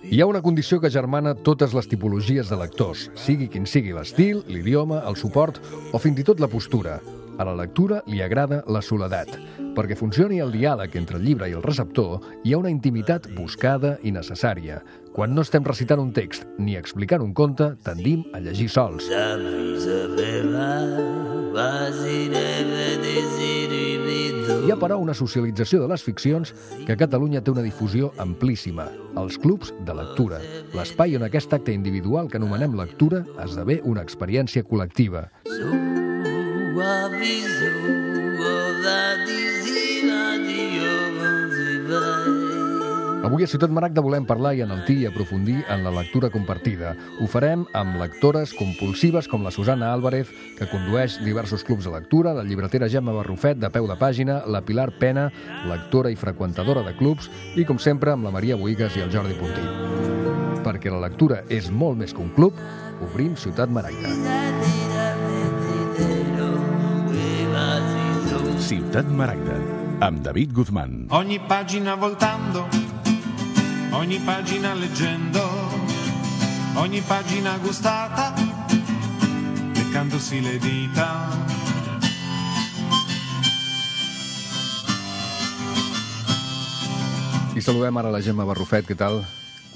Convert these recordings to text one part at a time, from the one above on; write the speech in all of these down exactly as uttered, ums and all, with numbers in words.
Hi ha una condició que germana totes les tipologies de lectors, sigui quin sigui l'estil, l'idioma, el suport o fins i tot la postura. A la lectura li agrada la soledat. Perquè funcioni el diàleg entre el llibre i el receptor, hi ha una intimitat buscada i necessària. Quan no estem recitant un text ni explicant un conte, tendim a llegir sols. Hi ha, però, una socialització de les ficcions que a Catalunya té una difusió amplíssima. Els clubs de lectura. L'espai on aquest acte individual que anomenem lectura esdevé una experiència col·lectiva. Avui a Ciutat Maragda volem parlar i enaltir i aprofundir en la lectura compartida. Ho farem amb lectores compulsives com la Susana Álvarez, que condueix diversos clubs de lectura, la llibretera Gemma Barrufet, de peu de pàgina, la Pilar Pena, lectora i freqüentadora de clubs, i, com sempre, amb la Maria Bohigas i el Jordi Puntí. Perquè la lectura és molt més que un club, obrim Ciutat Maragda. Ciutat Maragda, amb David Guzmán. Ogni pagina voltando, ogni pagina leggendo, ogni pagina gustata, leccandosi le dita. I saludem ara la Gemma Barrufet, què tal?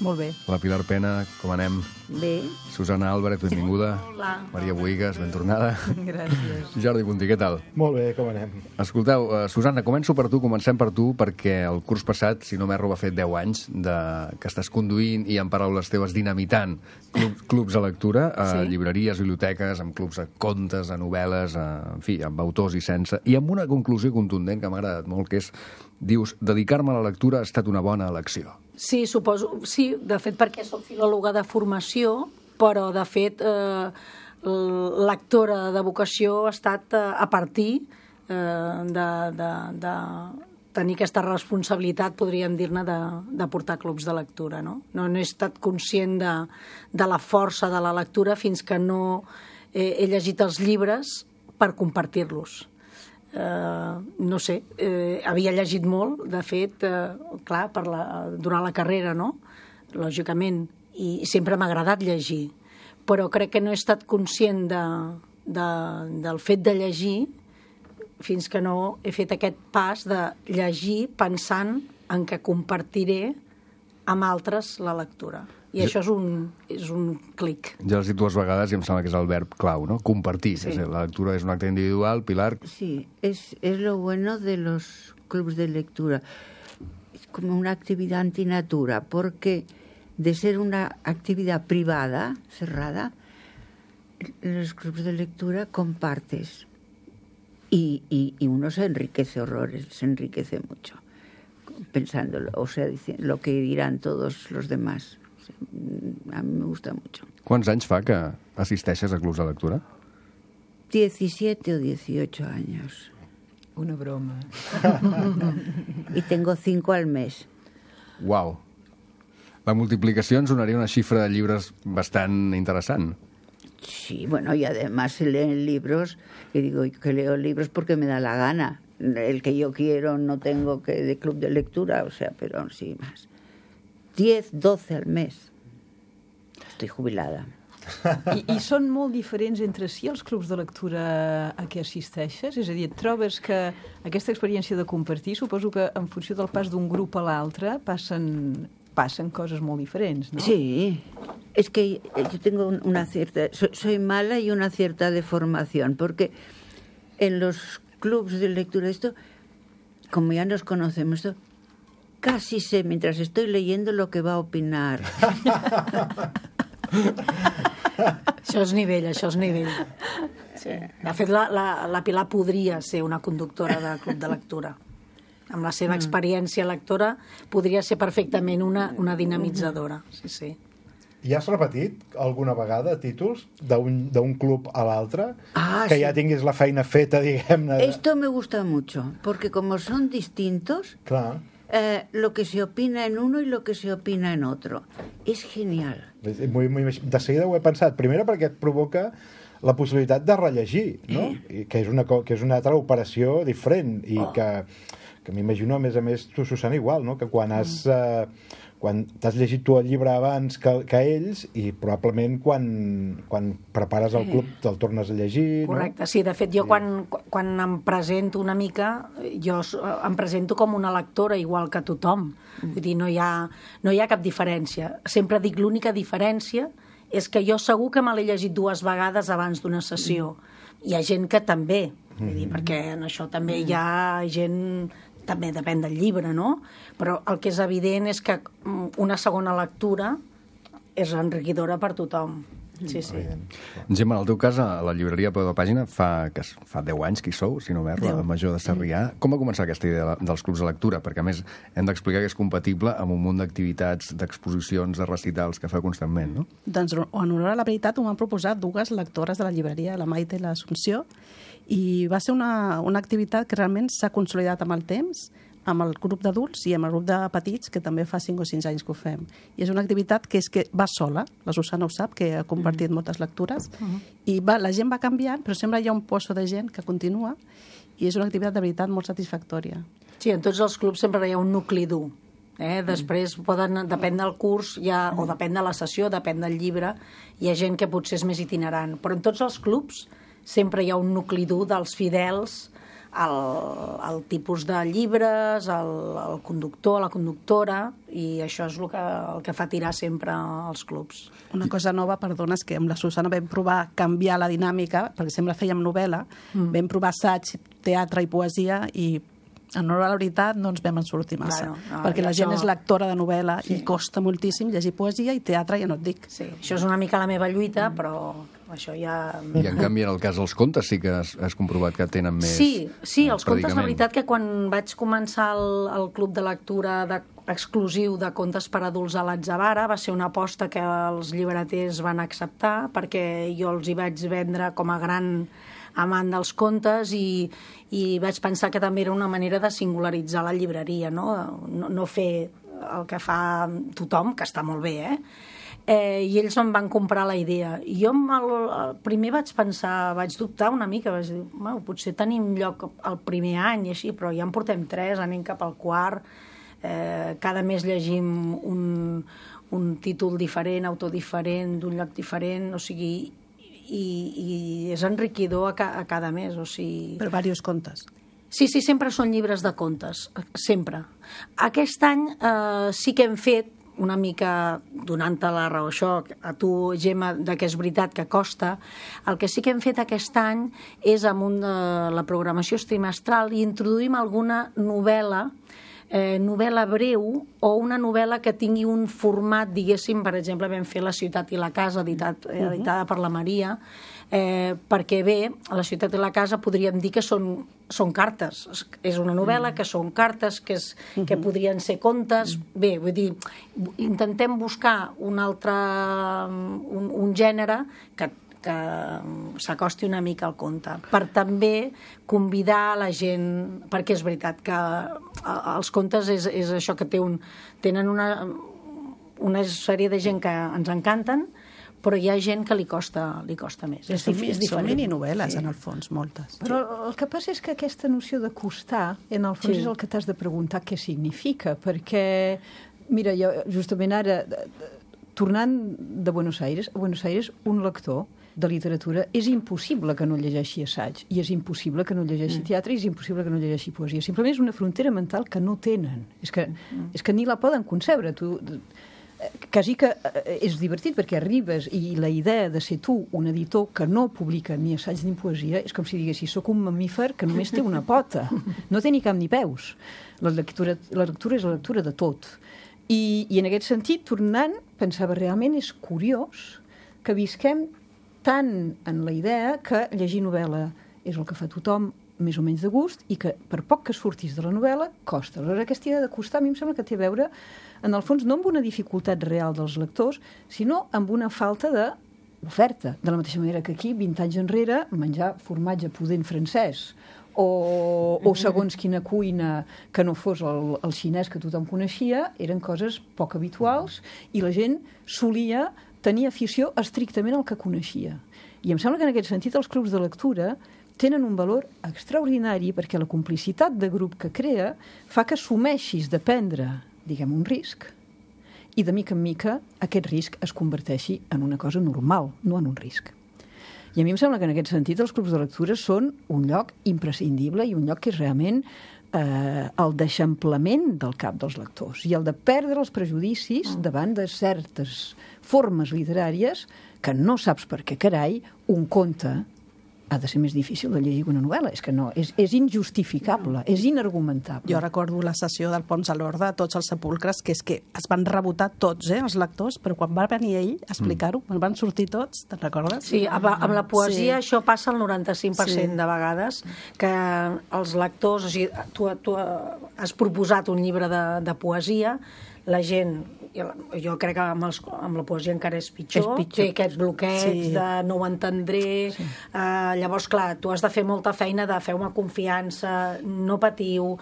Molt bé. La Pilar Pena, com anem? Bé. Susana Álvarez, benvinguda. Hola. Maria Bohigas, ben tornada. Gràcies. Jordi Puntí, què tal? Molt bé, com anem? Escolteu, uh, Susana, començo per tu, comencem per tu, perquè el curs passat, si no m'erro, va fer deu anys de... que estàs conduint i, en paraules teves, dinamitant club, clubs de lectura, a Sí. llibreries, biblioteques, amb clubs de contes, de novel·les, a... en fi, amb autors i sense, i amb una conclusió contundent que m'ha agradat molt, que és, dius, dedicar-me a la lectura ha estat una bona elecció. Sí, suposo, sí, de fet, perquè soc filòloga de formació, però, de fet, eh, lectora de vocació ha estat eh, a partir eh, de, de, de tenir aquesta responsabilitat, podríem dir-ne, de, de portar clubs de lectura, no? No, no he estat conscient de, de la força de la lectura fins que no he, he llegit els llibres per compartir-los. Uh, no sé, uh, havia llegit molt, de fet, uh, clar, per la, durant la carrera, no? Lògicament, i sempre m'ha agradat llegir, però crec que no he estat conscient de, de, del fet de llegir fins que no he fet aquest pas de llegir pensant en què compartiré amb altres la lectura. I Jo... això és un, és un clic. Ja l'has dit dues vegades i em sembla que és el verb clau, ¿no? Compartir. Sí. És a dir, la lectura és un acte individual. Pilar? Sí, es, es lo bueno de los clubs de lectura. Es como una actividad antinatura, porque de ser una actividad privada, cerrada, en los clubs de lectura compartes. Y, y, y uno se enriquece horrores, se enriquece mucho, pensándolo, o sea, diciendo lo que dirán todos los demás. A mí me gusta mucho. Quants anys fa que assisteixes a clubs de lectura? diecisiete o dieciocho años. Una broma. Y tengo cinco al mes. Uau! La multiplicació ens donaria una xifra de llibres bastant interessant. Sí, bueno, y además se leen libros, y digo que leo libros porque me da la gana. El que yo quiero no tengo que de club de lectura, o sea, pero sí más. diez, doce al mes. Estoy jubilada. I, I són molt diferents entre si els clubs de lectura a què assisteixes? És a dir, et trobes que aquesta experiència de compartir, suposo que en funció del pas d'un grup a l'altre passen, passen coses molt diferents, ¿no? Sí, es que yo tengo una cierta... Soy, soy mala y una cierta deformación, porque en los clubs de lectura esto, como ya nos conocemos, esto, casi sé, mientras estoy leyendo, lo que va a opinar. Això és nivell, això és nivell. Sí. De fet, la, la, la Pilar podria ser una conductora de club de lectura. Amb la seva experiència lectora podria ser perfectament una, una dinamitzadora. Sí, sí. I has repetit alguna vegada títols d'un d'un club a l'altre? Ah, que sí. ja tinguis la feina feta, diguem-ne. De... Esto me gusta mucho, porque como son distintos, Clar. eh, lo que se opina en uno y lo que se opina en otro. Es genial. Muy, muy, de seguida ho he pensat. Primera perquè et provoca la possibilitat de rellegir, no? I que, és una, co- que és una altra operació diferent i que, que m'imagino, a més a més, tu, Susana, igual, no? Que quan has... Eh, quan t'has llegit tu el llibre abans que, que ells i probablement quan, quan prepares el club te'l tornes a llegir, correcte, no? Sí, de fet jo quan, quan em presento una mica jo em presento com una lectora igual que tothom, vull dir, no hi ha, no hi ha cap diferència, sempre dic l'única diferència és que jo segur que me l'he llegit dues vegades abans d'una sessió, hi ha gent que també, vull dir, perquè en això també hi ha gent, també depèn del llibre, no? Però el que és evident és que una segona lectura és enriquidora per tothom. Sí, sí. Gemma, en el teu cas, a la llibreria Peu de Pàgina fa, que fa deu anys que hi sou, si no m'erro, a Major de Sarrià. Com va començar aquesta idea dels clubs de lectura? Perquè, a més, hem d'explicar que és compatible amb un munt d'activitats, d'exposicions, de recitals que fa constantment, no? Doncs, en honor a la veritat, ho m'han proposat dues lectores de la llibreria, la Maite i l'Assumpció, i va ser una, una activitat que realment s'ha consolidat amb el temps, amb el grup d'adults i amb el grup de petits, que també fa cinc o sis anys que ho fem. I és una activitat que és que va sola, la Susana ho sap, que ha compartit mm. moltes lectures, mm. i va, la gent va canviant, però sempre hi ha un pozo de gent que continua, i és una activitat de veritat molt satisfactòria. Sí, en tots els clubs sempre hi ha un nucli dur. Eh? Després, poden, depèn del curs, ja, o depèn de la sessió, depèn del llibre, hi ha gent que potser és més itinerant. Però en tots els clubs sempre hi ha un nucli dur dels fidels, el, el tipus de llibres, el, el conductor, la conductora, i això és el que, el que fa tirar sempre els clubs. Una cosa nova, perdona, és que amb la Susana vam provar canviar la dinàmica, perquè sempre fèiem novel·la, mm. vam provar assaig, teatre i poesia, i en honor a la veritat no ens vam en sortir massa, claro, no, perquè la gent això... és lectora de novel·la, sí. I costa moltíssim llegir poesia i teatre, ja no et dic. Sí, això és una mica la meva lluita, mm. però això ja... I en canvi, en el cas dels contes sí que has, has comprovat que tenen més... Sí, sí, els contes, la veritat que quan vaig començar el, el club de lectura de, exclusiu de contes per adults a l'Atzavara, va ser una aposta que els llibreters van acceptar, perquè jo els hi vaig vendre com a gran amant dels contes i, i vaig pensar que també era una manera de singularitzar la llibreria, no? No, no fer el que fa tothom, que està molt bé, eh? Eh, i ells em van comprar la idea. I jo el, el primer vaig pensar, vaig dubtar una mica, vaig dir, bueno, potser tenim lloc el primer any i així, però ja en portem tres, anem cap al quart, eh, cada mes llegim un, un títol diferent, autor diferent, d'un lloc diferent, o sigui... I, i és enriquidor a, ca, a cada mes, o sigui... Per diversos contes. Sí, sí, sempre són llibres de contes, sempre. Aquest any eh, sí que hem fet una mica, donant-te la raó això, a tu, Gemma, que és veritat que costa, el que sí que hem fet aquest any és amb un de la programació trimestral i introduïm alguna novel·la Eh, novel·la breu o una novel·la que tingui un format, diguéssim, per exemple, vam fer La ciutat i la casa, editat, eh, editada per la Maria, eh, perquè bé, La ciutat i la casa podríem dir que són, són cartes. És una novel·la que són cartes, que, és, que podrien ser contes. Bé, vull dir, intentem buscar un altre, un, un gènere que que s'acosti una mica al conte, per també convidar la gent, perquè és veritat que els contes és, és això que té un, tenen una, una sèrie de gent que ens encanten, però hi ha gent que li costa, li costa més. És, és, és són mininovel·les, sí. En el fons, moltes. Però el que passa és que aquesta noció de costar, en el fons, sí. És el que t'has de preguntar què significa, perquè, mira, jo justament ara, tornant de Buenos Aires, a Buenos Aires, un lector de literatura, és impossible que no llegeixi assaig, i és impossible que no llegeixi mm. teatre, i és impossible que no llegeixi poesia. Simplement és una frontera mental que no tenen. És que, mm. és que ni la poden concebre. Tu, quasi que és divertit, perquè arribes i la idea de ser tu un editor que no publica ni assaig ni poesia és com si diguessis, soc un mamífer que només té una pota. No té ni cap ni peus. La lectura, la lectura és la lectura de tot. I, i en aquest sentit, tornant, pensava realment és curiós que visquem tant en la idea que llegir novel·la és el que fa tothom més o menys de gust i que per poc que surtis de la novel·la costa. Aleshores, aquesta idea de costar a mi em sembla que té a veure, en el fons, no amb una dificultat real dels lectors, sinó amb una falta d'oferta. De la mateixa manera que aquí, vint anys enrere, menjar formatge pudent francès o, o segons quina cuina que no fos el, el xinès que tothom coneixia, eren coses poc habituals i la gent solia tenir afició estrictament al que coneixia. I em sembla que en aquest sentit els clubs de lectura tenen un valor extraordinari perquè la complicitat de grup que crea fa que assumeixis de prendre, diguem, un risc i de mica en mica aquest risc es converteixi en una cosa normal, no en un risc. I a mi em sembla que en aquest sentit els clubs de lectura són un lloc imprescindible i un lloc que és realment eh, el d'eixamplament del cap dels lectors i el de perdre els prejudicis davant de certes formes literàries que no saps per què, carai, un conte ha de ser més difícil de llegir que una novel·la. És que no, és, és injustificable, és inargumentable. Jo recordo la sessió del Pons a l'Orde, tots els sepulcres, que és que es van rebotar tots, eh, els lectors, però quan va venir ell a explicar-ho, mm. van sortir tots, te'n recordes? Sí, amb, amb la poesia sí. Això passa el noranta-cinc per cent sí. de vegades, que els lectors, o sigui, tu, tu has proposat un llibre de, de poesia, la gent, jo crec que amb, els, amb la poesia encara és pitjor, és pitjor. Té aquests bloqueig sí. de no ho entendré, sí. uh, llavors, clar, tu has de fer molta feina de feu-me confiança, no patiu,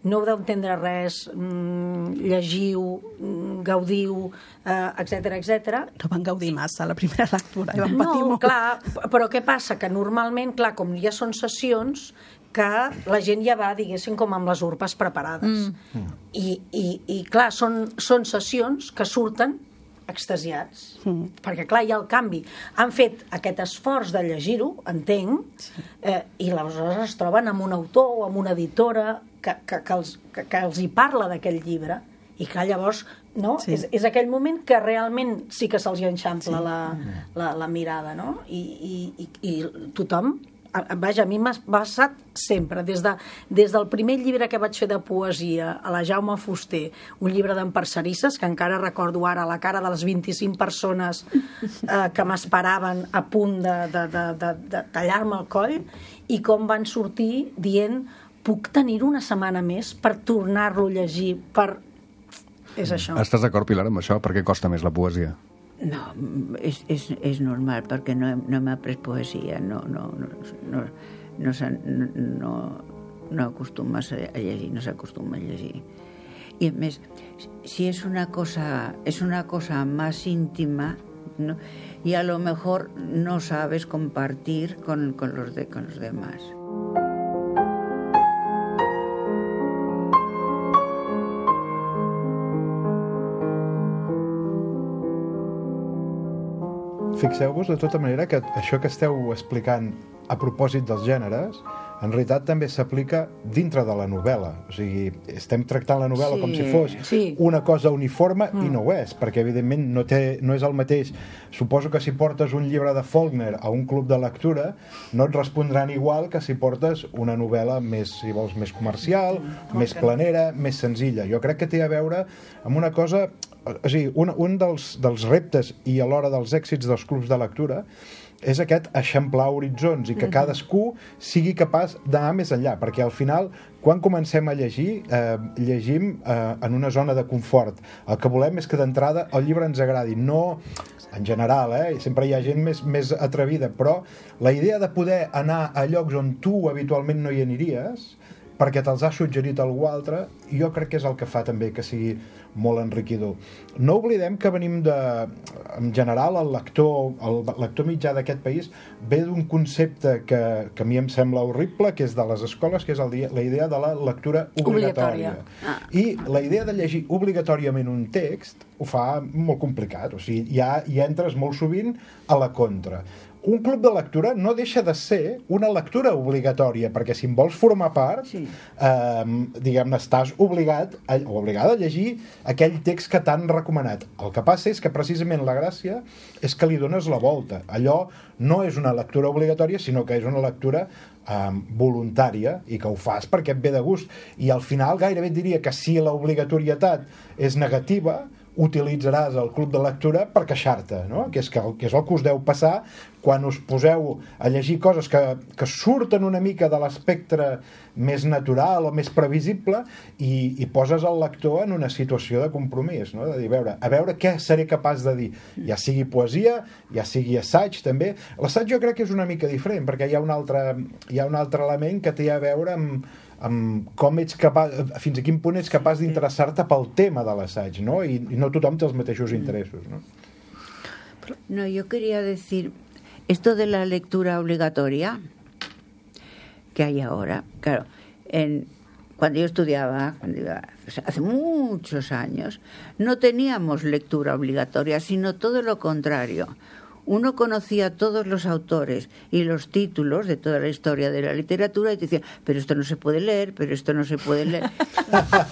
no heu d'entendre res, mm, llegiu, mm, gaudiu, uh, etcètera, etcètera. No van gaudir massa la primera lectura, i van patir no, molt. Clar, però què passa? Que normalment, clar, com ja són sessions, que la gent ja va, diguéssim, com amb les urpes preparades. Mm. I, i, i, clar, són, són sessions que surten extasiats. Mm. Perquè, clar, hi ha el canvi. Han fet aquest esforç de llegir-ho, entenc, sí. eh, i aleshores es troben amb un autor o amb una editora que, que, que, els, que, que els hi parla d'aquell llibre, i clar, llavors no? Sí. És, és aquell moment que realment sí que se'ls enxampla sí. la, la, la mirada, no? I, i, i, i tothom... Vaja, a mi m'ha passat sempre, des, de, des del primer llibre que vaig fer de poesia a la Jaume Fuster, un llibre d'emparcerisses, que encara recordo ara la cara de les vint-i-cinc persones eh, que m'esperaven a punt de, de, de, de, de tallar-me el coll, i com van sortir dient puc tenir una setmana més per tornar-lo a llegir, per... És això. Estàs d'acord, Pilar, amb això? Per què costa més la poesia? No, és, és, és normal, perquè no, no m'ha après poesia, no, no, no, no, no, no, no acostumes a llegir, no s'acostuma a llegir. Y a més, si es una cosa, es una cosa más íntima, ¿no? Y a lo mejor no sabes compartir con, con, los, de, con los demás. Fixeu-vos de tota manera que això que esteu explicant a propòsit dels gèneres en realitat també s'aplica dintre de la novel·la. O sigui, estem tractant la novel·la sí, com si fos sí. una cosa uniforme mm. i no ho és, perquè evidentment no, té, no és el mateix. Suposo que si portes un llibre de Faulkner a un club de lectura no et respondran igual que si portes una novel·la més, si vols, més comercial, mm. més planera, més senzilla. Jo crec que té a veure amb una cosa... O sigui, un, un dels, dels reptes i alhora dels èxits dels clubs de lectura és aquest eixamplar horitzons i que cadascú sigui capaç d'anar més enllà, perquè al final, quan comencem a llegir, eh, llegim eh, en una zona de confort. El que volem és que d'entrada el llibre ens agradi, no en general, eh? Sempre hi ha gent més, més atrevida, però la idea de poder anar a llocs on tu habitualment no hi aniries, perquè te'ls ha suggerit algú altre, jo crec que és el que fa també que sigui molt enriquidor. No oblidem que venim de... En general, el lector, el lector mitjà d'aquest país ve d'un concepte que, que a mi em sembla horrible, que és de les escoles, que és el, la idea de la lectura obligatòria. obligatòria. Ah. I la idea de llegir obligatòriament un text ho fa molt complicat. O sigui, ja hi entres molt sovint a la contra. Un club de lectura no deixa de ser una lectura obligatòria, perquè si en vols formar part, sí. eh, diguem-ne, estàs obligat a, o obligada a llegir aquell text que t'han recomanat. El que passa és que precisament la gràcia és que li dones la volta. Allò no és una lectura obligatòria, sinó que és una lectura eh, voluntària i que ho fas perquè et ve de gust. I al final gairebé et diria que si l'obligatorietat és negativa, utilitzaràs el club de lectura per queixar-te, no? Que és, que, que és el que us deu passar quan us poseu a llegir coses que, que surten una mica de l'espectre més natural o més previsible i, i poses el lector en una situació de compromís, no? De dir, a veure, a veure què seré capaç de dir, ja sigui poesia, ja sigui assaig també. L'assaig jo crec que és una mica diferent, perquè hi ha un altre, hi ha un altre element que té a veure amb amb com ets capaç, fins a quin punt ets capaç d'interessar-te pel tema de l'assaig, no? I, i no tothom té els mateixos interessos, ¿no? No, yo quería decir, esto de la lectura obligatoria que hay ahora, claro, en, cuando yo estudiaba, cuando iba, hace muchos años, no teníamos lectura obligatoria, sino todo lo contrario. Uno conocía todos los autores y los títulos de toda la historia de la literatura y te decía, pero esto no se puede leer, pero esto no se puede leer.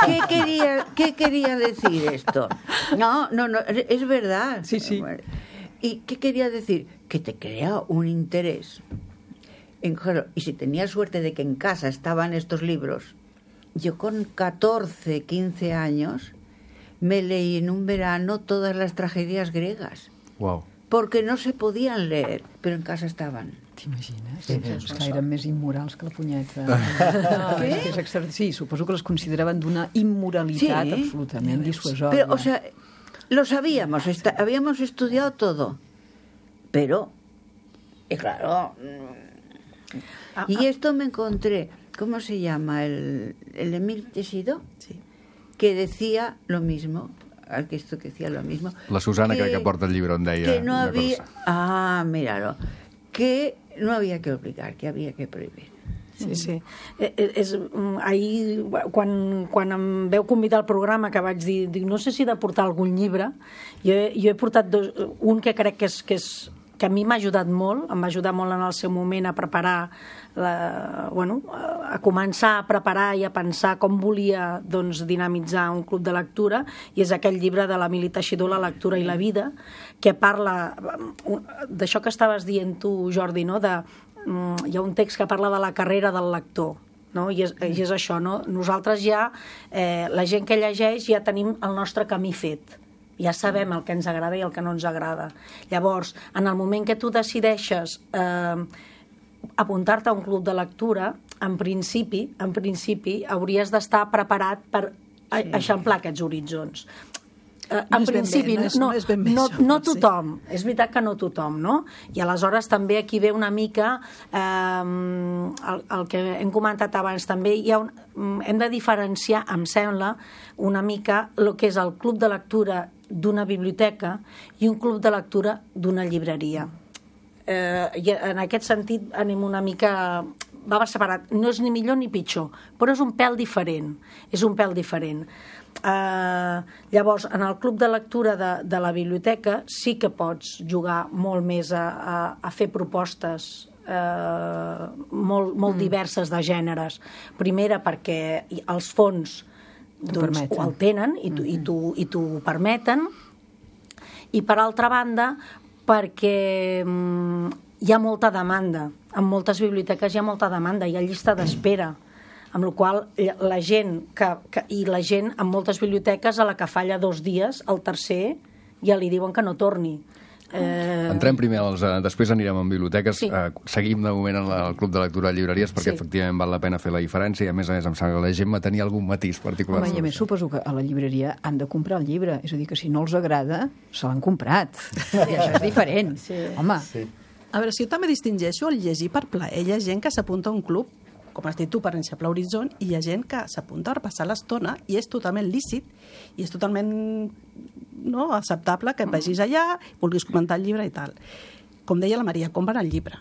¿Qué quería, qué quería decir esto? No, no, no, es verdad. Sí, sí. ¿Y qué quería decir? Que te crea un interés. En, claro, y si tenía suerte de que en casa estaban estos libros, yo con catorce, quince años me leí en un verano todas las tragedias griegas. Wow. Porque no se podien leer, però en casa estaven. T'imagines? Sí, és que eren més immorals que la punyeta. No, és que és extra... Sí, suposo que les consideraven d'una immoralitat sí, absolutament dissuasòria. Pero, o sea, lo sabíamos, está, habíamos estudiado todo, pero, y claro, y esto me encontré, ¿cómo se llama? El, el Emil Tessido, sí, que decía lo mismo. Que esto que decía lo mismo. La Susana, que, crec que porta el llibre on deia... Que no havia... Ah, míralo. Que no havia que obligar, que havia que prohibir. Sí, sí. Eh, és, ahir, quan, quan em veu convidar al programa, que vaig dir, dic, no sé si he de portar algun llibre, jo, jo he portat dos, un que crec que és, que és que a mi m'ha ajudat molt, em va ajudar molt en el seu moment a preparar, la, bueno, a començar a preparar i a pensar com volia doncs, dinamitzar un club de lectura, i és aquell llibre de l'Emili Teixidor, La lectura i la vida, que parla d'això que estaves dient tu, Jordi, no? De, hi ha un text que parla de la carrera del lector, no? I, és, i és això, no? Nosaltres ja, eh, la gent que llegeix, ja tenim el nostre camí fet. Ja sabem el que ens agrada i el que no ens agrada. Llavors, en el moment que tu decideixes eh, apuntar-te a un club de lectura, en principi, en principi hauries d'estar preparat per sí. eixamplar aquests horitzons. Eh, en no principi, bé, no, és, no, no, és ben bé no, això, no tothom. Sí. És veritat que no tothom, no? I aleshores també aquí ve una mica eh, el, el que hem comentat abans també, hi ha un, hem de diferenciar, em sembla, una mica el que és el club de lectura d'una biblioteca i un club de lectura d'una llibreria. Eh, i en aquest sentit anem una mica... va separat. No és ni millor ni pitjor, però és un pèl diferent. És un pèl diferent. Eh, llavors, en el club de lectura de, de la biblioteca sí que pots jugar molt més a, a, a fer propostes eh, molt, molt mm. diverses de gèneres. Primera, perquè els fons doncs, ho el tenen i t'ho permeten, i per altra banda perquè mm, hi ha molta demanda, en moltes biblioteques hi ha molta demanda, hi ha llista d'espera, amb la qual la gent que, que, i la gent en moltes biblioteques a la que falla dos dies, el tercer ja li diuen que no torni. Eh... Entrem primer als... Després anirem en biblioteques. Sí. Eh, seguim de moment en el Club de Lectura de Llibreries perquè sí. efectivament val la pena fer la diferència i a més a més em sembla que la Gemma tenia algun matís particular. Home, i a més suposo que a la llibreria han de comprar el llibre, és a dir, que si no els agrada se l'han comprat. I això és diferent. Sí. Home. Sí. A veure, si jo també distingeixo el llegir per plaer. Hi ha gent que s'apunta a un club, com has dit tu, per eixamplar horitzon, i hi ha gent que s'apunta per passar l'estona i és totalment lícit i és totalment no, acceptable que vagis allà, vulguis comentar el llibre i tal. Com deia la Maria, compren el llibre.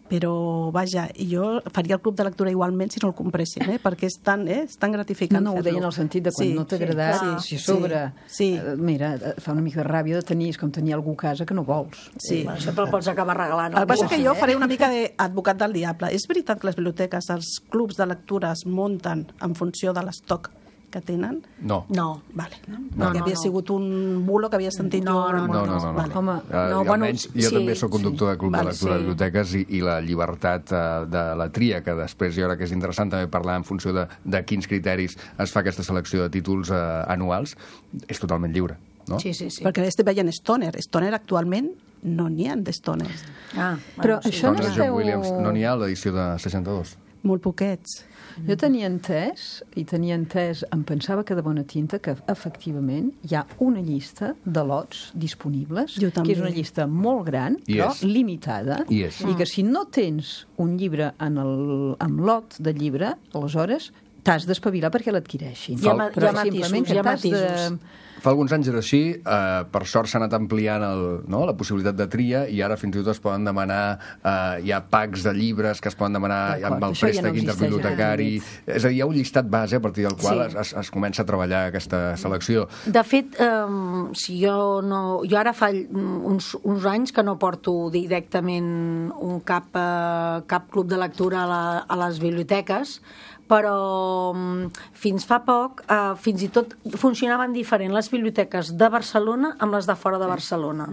Però, vaja, jo faria el club de lectura igualment si no el compressin, eh? Perquè és tan, eh? és tan gratificant no, no, ho deia en el sentit de quan sí, no t'ha agradat, sí, si a sobre, sí. eh, mira, fa una mica de ràbia de tenir, és com tenir algú a casa que no vols. Sí. Eh, això te'l pots acabar regalant. El que passa que jo faré una mica d'advocat del diable. És veritat que les biblioteques, els clubs de lectura es munten en funció de l'estoc que tenen? No. No. Vale. No, no, que havia no, sigut un bulo que havia sentit no, jo. No, no, no. no, no. Vale. Home, uh, no, bueno, almenys, jo sí, també sóc conductor sí. de club vale, de lectura sí. de biblioteques i, i la llibertat uh, de la tria, que després jo crec que és interessant també parlar en funció de, de quins criteris es fa aquesta selecció de títols uh, anuals, és totalment lliure. No? Sí, sí, sí. Perquè estic veient Stoner. Stoner actualment no n'hi ha d'Stoners. Ah, però bueno, això no esteu... John Williams, no n'hi ha a l'edició de seixanta-dos? Molt poquets. Jo tenia entès, i tenia entès, em pensava que de bona tinta, que efectivament hi ha una llista de lots disponibles, que és una llista molt gran, I però és. limitada, I, és. i que si no tens un llibre en el, en lot de llibre, aleshores t'has d'espavilar perquè l'adquireixin. Hi ha ma- Però hi ha matisos, simplement que hi ha t'has de- matisos. Fa alguns anys era així, eh, per sort s'ha anat ampliant el, no, la possibilitat de tria i ara fins i tot es poden demanar, eh, hi ha packs de llibres que es poden demanar D'acord, amb el això ja no préstec existeix interbibliotecari. en És a dir, hi ha un llistat base a partir del qual Sí. es, es comença a treballar aquesta selecció. De fet, eh, si jo no... Jo ara fa uns, uns anys que no porto directament un cap, eh, cap club de lectura a, la, a les biblioteques, però mm, fins fa poc, eh, fins i tot funcionaven diferent les biblioteques de Barcelona amb les de fora de Barcelona.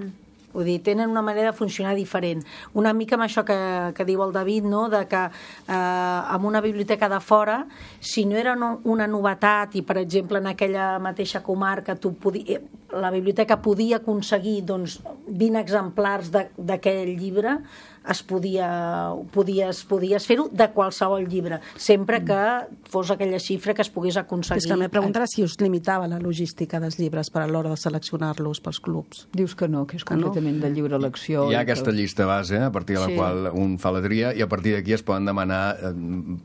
Vull dir, tenen una manera de funcionar diferent. Una mica amb això que, que diu el David, no?, de que eh, amb una biblioteca de fora, si no era no, una novetat i, per exemple, en aquella mateixa comarca tu podia, la biblioteca podia aconseguir doncs, vint exemplars d'aquell llibre, es podia, podies, podies fer-ho de qualsevol llibre, sempre que fos aquella xifra que es pogués aconseguir. És que la meva pregunta era si us limitava la logística dels llibres per a l'hora de seleccionar-los pels clubs. Dius que no, que és Que no? completament de lliure elecció. Hi ha i que- aquesta llista base, a partir de la Sí. qual un fa la tria, i a partir d'aquí es poden demanar eh,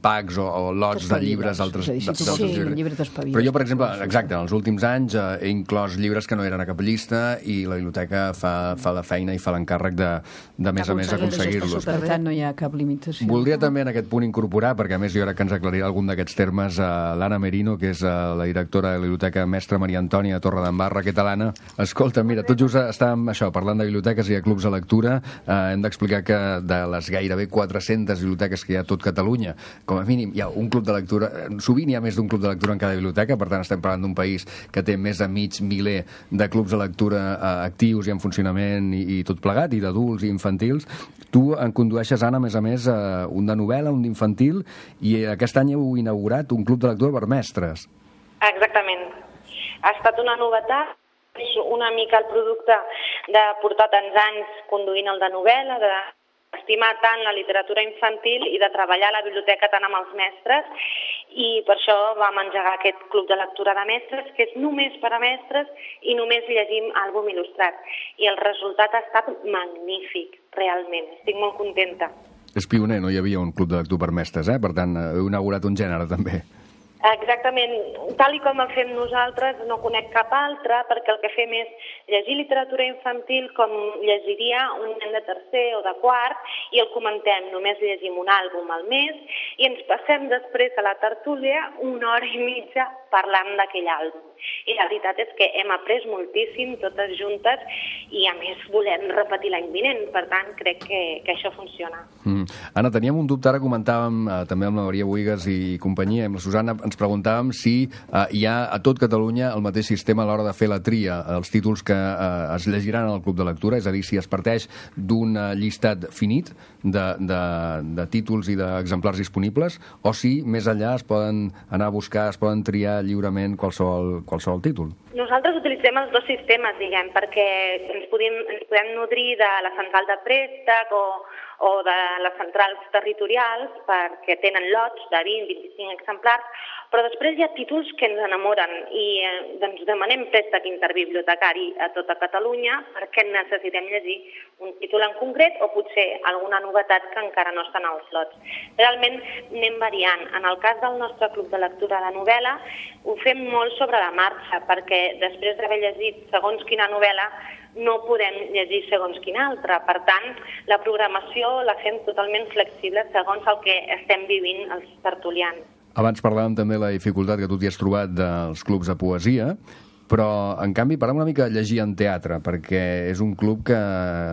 packs o, o lots de T'espaviles. llibres altres, És a dir, si tu d'altres vols un llibres. llibre, t'espaviles. Però jo, per exemple, exacte, en els últims anys eh, he inclòs llibres que no eren a cap llista i la biblioteca fa, fa la feina i fa l'encàrrec de, de més a més Aconseguir-los, aconseguir-los. Per tant, no hi ha cap limitació. Voldria també en aquest punt incorporar, perquè a més jo crec que ens aclarirà algun d'aquests termes, a l'Anna Merino, que és eh, la directora de la Biblioteca Mestra Maria Antònia Torredembarra. Què tal, Anna? Escolta, mira, tot just estàvem això, parlant de biblioteques i de clubs de lectura. Eh, hem d'explicar que de les gairebé quatre-centes biblioteques que hi ha a tot Catalunya, com a mínim hi ha un club de lectura. eh, Sovint hi ha més d'un club de lectura en cada biblioteca, per tant estem parlant d'un país que té més de mig miler de clubs de lectura eh, actius i en funcionament i, i tot plegat, i d'adults i infantils. Tu en condueixes, Anna, a més a més, eh, un de novel·la, un d'infantil, i aquest any heu inaugurat un club de lectura per mestres. Exactament. Ha estat una novetat, és una mica el producte de portar tants anys conduint el de novel·la, d'estimar tant la literatura infantil i de treballar a la biblioteca tant amb els mestres, i per això vam engegar aquest club de lectura de mestres, que és només per a mestres i només llegim àlbum il·lustrat. I el resultat ha estat magnífic, realment. Estic molt contenta. És pioner, no hi havia un club de lectura per mestres, eh? Per tant, heu inaugurat un gènere, també. Exactament. Tal i com el fem nosaltres, no conec cap altre, perquè el que fem és llegir literatura infantil com llegiria un nen de tercer o de quart, i el comentem. Només llegim un àlbum al mes i ens passem després a la tertúlia una hora i mitja parlant d'aquell àlbum. I la veritat és que hem après moltíssim totes juntes i a més volem repetir l'any vinent, per tant crec que, que això funciona. Mm. Anna, teníem un dubte, ara comentàvem eh, també amb la Maria Buigas i companyia, amb la Susana, ens preguntàvem si eh, hi ha a tot Catalunya el mateix sistema a l'hora de fer la tria, els títols que eh, es llegiran al club de lectura, és a dir, si es parteix d'un eh, llistat finit de, de, de títols i d'exemplars disponibles, o si més enllà es poden anar a buscar, es poden triar lliurement qualsevol, qualsevol títol. Nosaltres utilitzem els dos sistemes, diguem, perquè ens podem, ens podem nodrir de la central de préstec o, o de les centrals territorials, perquè tenen lots de vint a vint-i-cinc exemplars, però després hi ha títols que ens enamoren i eh, doncs demanem préstec interbibliotecari a tota Catalunya perquè necessitem llegir un títol en concret o potser alguna novetat que encara no està en els lots. Realment anem variant. En el cas del nostre club de lectura de novel·la ho fem molt sobre la marxa, perquè després d'haver llegit segons quina novel·la no podem llegir segons quina altra. Per tant, la programació la fem totalment flexible segons el que estem vivint els tertulians. Abans parlàvem també de la dificultat que tu t'hi has trobat dels clubs de poesia, però, en canvi, parlem una mica de llegir en teatre, perquè és un club que,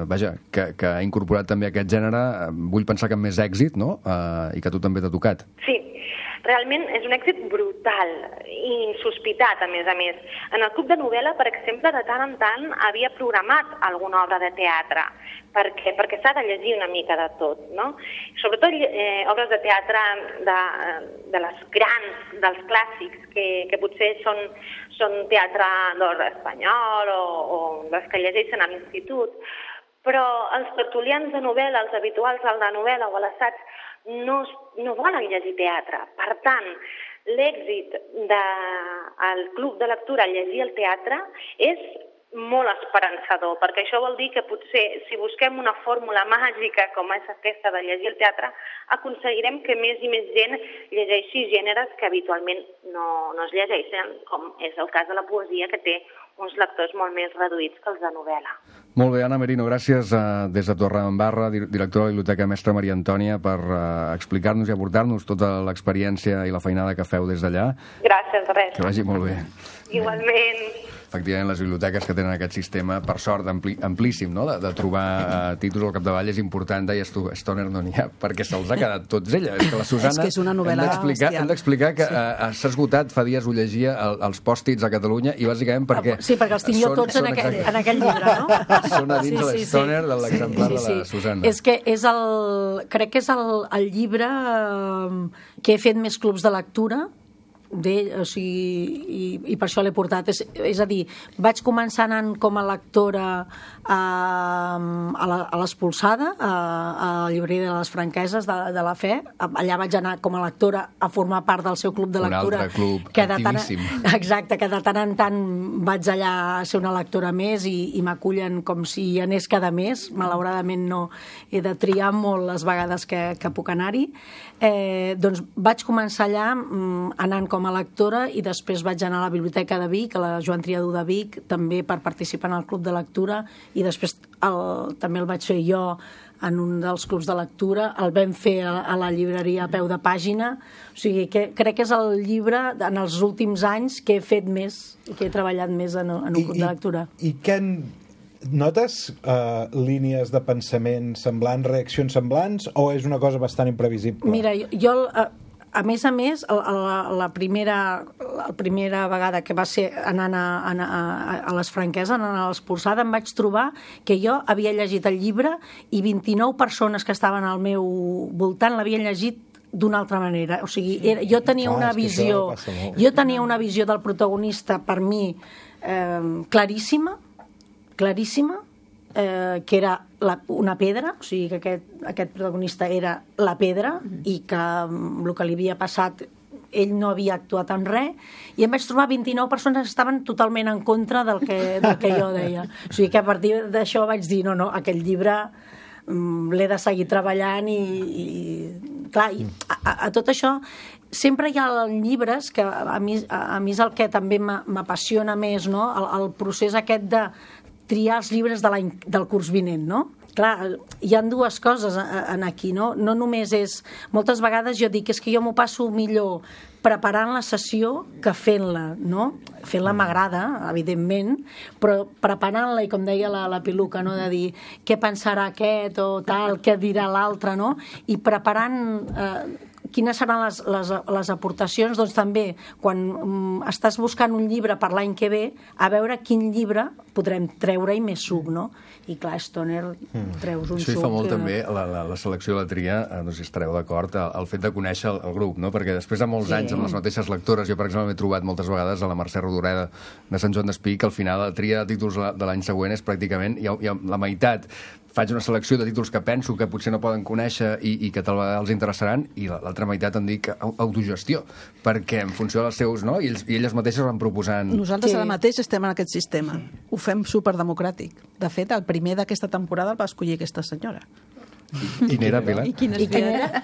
vaja, que, que ha incorporat també aquest gènere, vull pensar que amb més èxit, no?, uh, i que a tu també t'ha tocat. Sí, realment és un èxit brutal i insospitat, a més a més. En el club de novel·la, per exemple, de tant en tant havia programat alguna obra de teatre, perquè, perquè s'ha de llegir una mica de tot, no? Sobretot eh, obres de teatre de, de les grans, dels clàssics, que, que potser són, són teatre d'or espanyol o, o les que llegeixen a l'institut, però els tertulians de novel·la, els habituals al de novel·la o a l'assaig, no, no volen llegir teatre. Per tant, l'èxit del club de lectura al llegir el teatre és molt esperançador, perquè això vol dir que potser si busquem una fórmula màgica com és aquesta de llegir el teatre, aconseguirem que més i més gent llegeixi gèneres que habitualment no, no es llegeixen, com és el cas de la poesia, que té uns lectors molt més reduïts que els de novel·la. Molt bé, Anna Merino, gràcies uh, des de Torredembarra, directora de la Biblioteca Mestra Maria Antònia, per uh, explicar-nos i aportar-nos tota l'experiència i la feinada que feu des d'allà. Gràcies, res. Que vagi molt bé. Igualment. Efectivament, les biblioteques que tenen aquest sistema, per sort, ampli, amplíssim, no? de, de trobar uh, títols al capdavall és important, deies tu, Stoner no n'hi ha, perquè se'ls ha quedat tots ella. És que la Susana... És que és una novel·la bestial. Hem d'explicar que sí. uh, s'ha esgotat, fa dies ho llegia, el, els pòstits a Catalunya, i bàsicament perquè... Sí, perquè els tinc jo tots en aquell, en aquell llibre, no? Són a dins sí, sí, de l'Stoner, sí. de l'exemplar sí, sí, sí. de la Susana. És que és el... Crec que és el, el llibre eh, que he fet més clubs de lectura, d'ell, o sigui, i, i per això l'he portat. És, és a dir, vaig començar anant com a lectora a, a, la, a l'Espolsada, a, a la llibreria de les Franqueses de, de la Fe. Allà vaig anar com a lectora a formar part del seu club de lectura. Un altre club que de tant, activíssim. Exacte, que de tant en tant vaig allà a ser una lectora més i, i m'acullen com si hi anés cada mes. Malauradament no he de triar molt les vegades que, que puc anar-hi. Eh, doncs vaig començar allà anant com a lectora i després vaig anar a la Biblioteca de Vic, a la Joan Triadú de Vic, també per participar en el club de lectura, i després el, també el vaig fer jo en un dels clubs de lectura, el vam fer a, a la llibreria a peu de pàgina, o sigui que crec que és el llibre en els últims anys que he fet més, que he treballat més en, en un I, club de lectura. I, i què en... Notes uh, línies de pensament semblants, reaccions semblants, o és una cosa bastant imprevisible? Mira, jo, jo a, a més a més, la, la, primera, la primera vegada que va ser anant a, a, a les Franqueses, anant a l'Espolsada, em vaig trobar que jo havia llegit el llibre i vint-i-nou persones que estaven al meu voltant l'havien llegit d'una altra manera. O sigui, era, jo tenia Clar, una visió, jo tenia una visió del protagonista per mi eh, claríssima, claríssima, eh, que era la, una pedra, o sigui que aquest, aquest protagonista era la pedra i que el que li havia passat ell no havia actuat en res, i em vaig trobar vint-i-nou persones que estaven totalment en contra del que, del que jo deia. O sigui que a partir d'això vaig dir, no, no, aquest llibre mm, l'he de seguir treballant i, i clar, i a, a tot això sempre hi ha llibres que a mi, a mi és el que també m'apassiona més, no? el, el procés aquest de triar els llibres de del curs vinent, no? Clar, hi ha dues coses en aquí, no? No només és... Moltes vegades jo dic, és que jo m'ho passo millor preparant la sessió que fent-la, no? Fent-la m'agrada, evidentment, però preparant-la, i com deia la, la Piluca, no? De dir què pensarà aquest o tal, què dirà l'altre, no? I preparant... Eh, quines seran les, les, les aportacions, doncs també quan um, estàs buscant un llibre per l'any que ve, a veure quin llibre podrem treure-hi més suc, no? I clar, Stoner, treus un suc... Això hi fa molt que... també la, la, la selecció de la tria, eh, no sé si estareu d'acord, el, el fet de conèixer el, el grup, no? Perquè després de molts sí. anys amb les mateixes lectores, jo per exemple m'he trobat moltes vegades a la Mercè Rodoreda de Sant Joan d'Espí, que al final la tria de títols de l'any següent és pràcticament, hi ha, hi ha la meitat faig una selecció de títols que penso que potser no poden conèixer i, i que tal vegada els interessaran, i l'altra meitat em dic autogestió, perquè en funció dels seus, no? I, ells, i elles mateixes van proposant... Nosaltres sí. ara mateix estem en aquest sistema. Sí. Ho fem superdemocràtic. De fet, el primer d'aquesta temporada el va escollir aquesta senyora. Quin era, Pilar? I quin I quin era?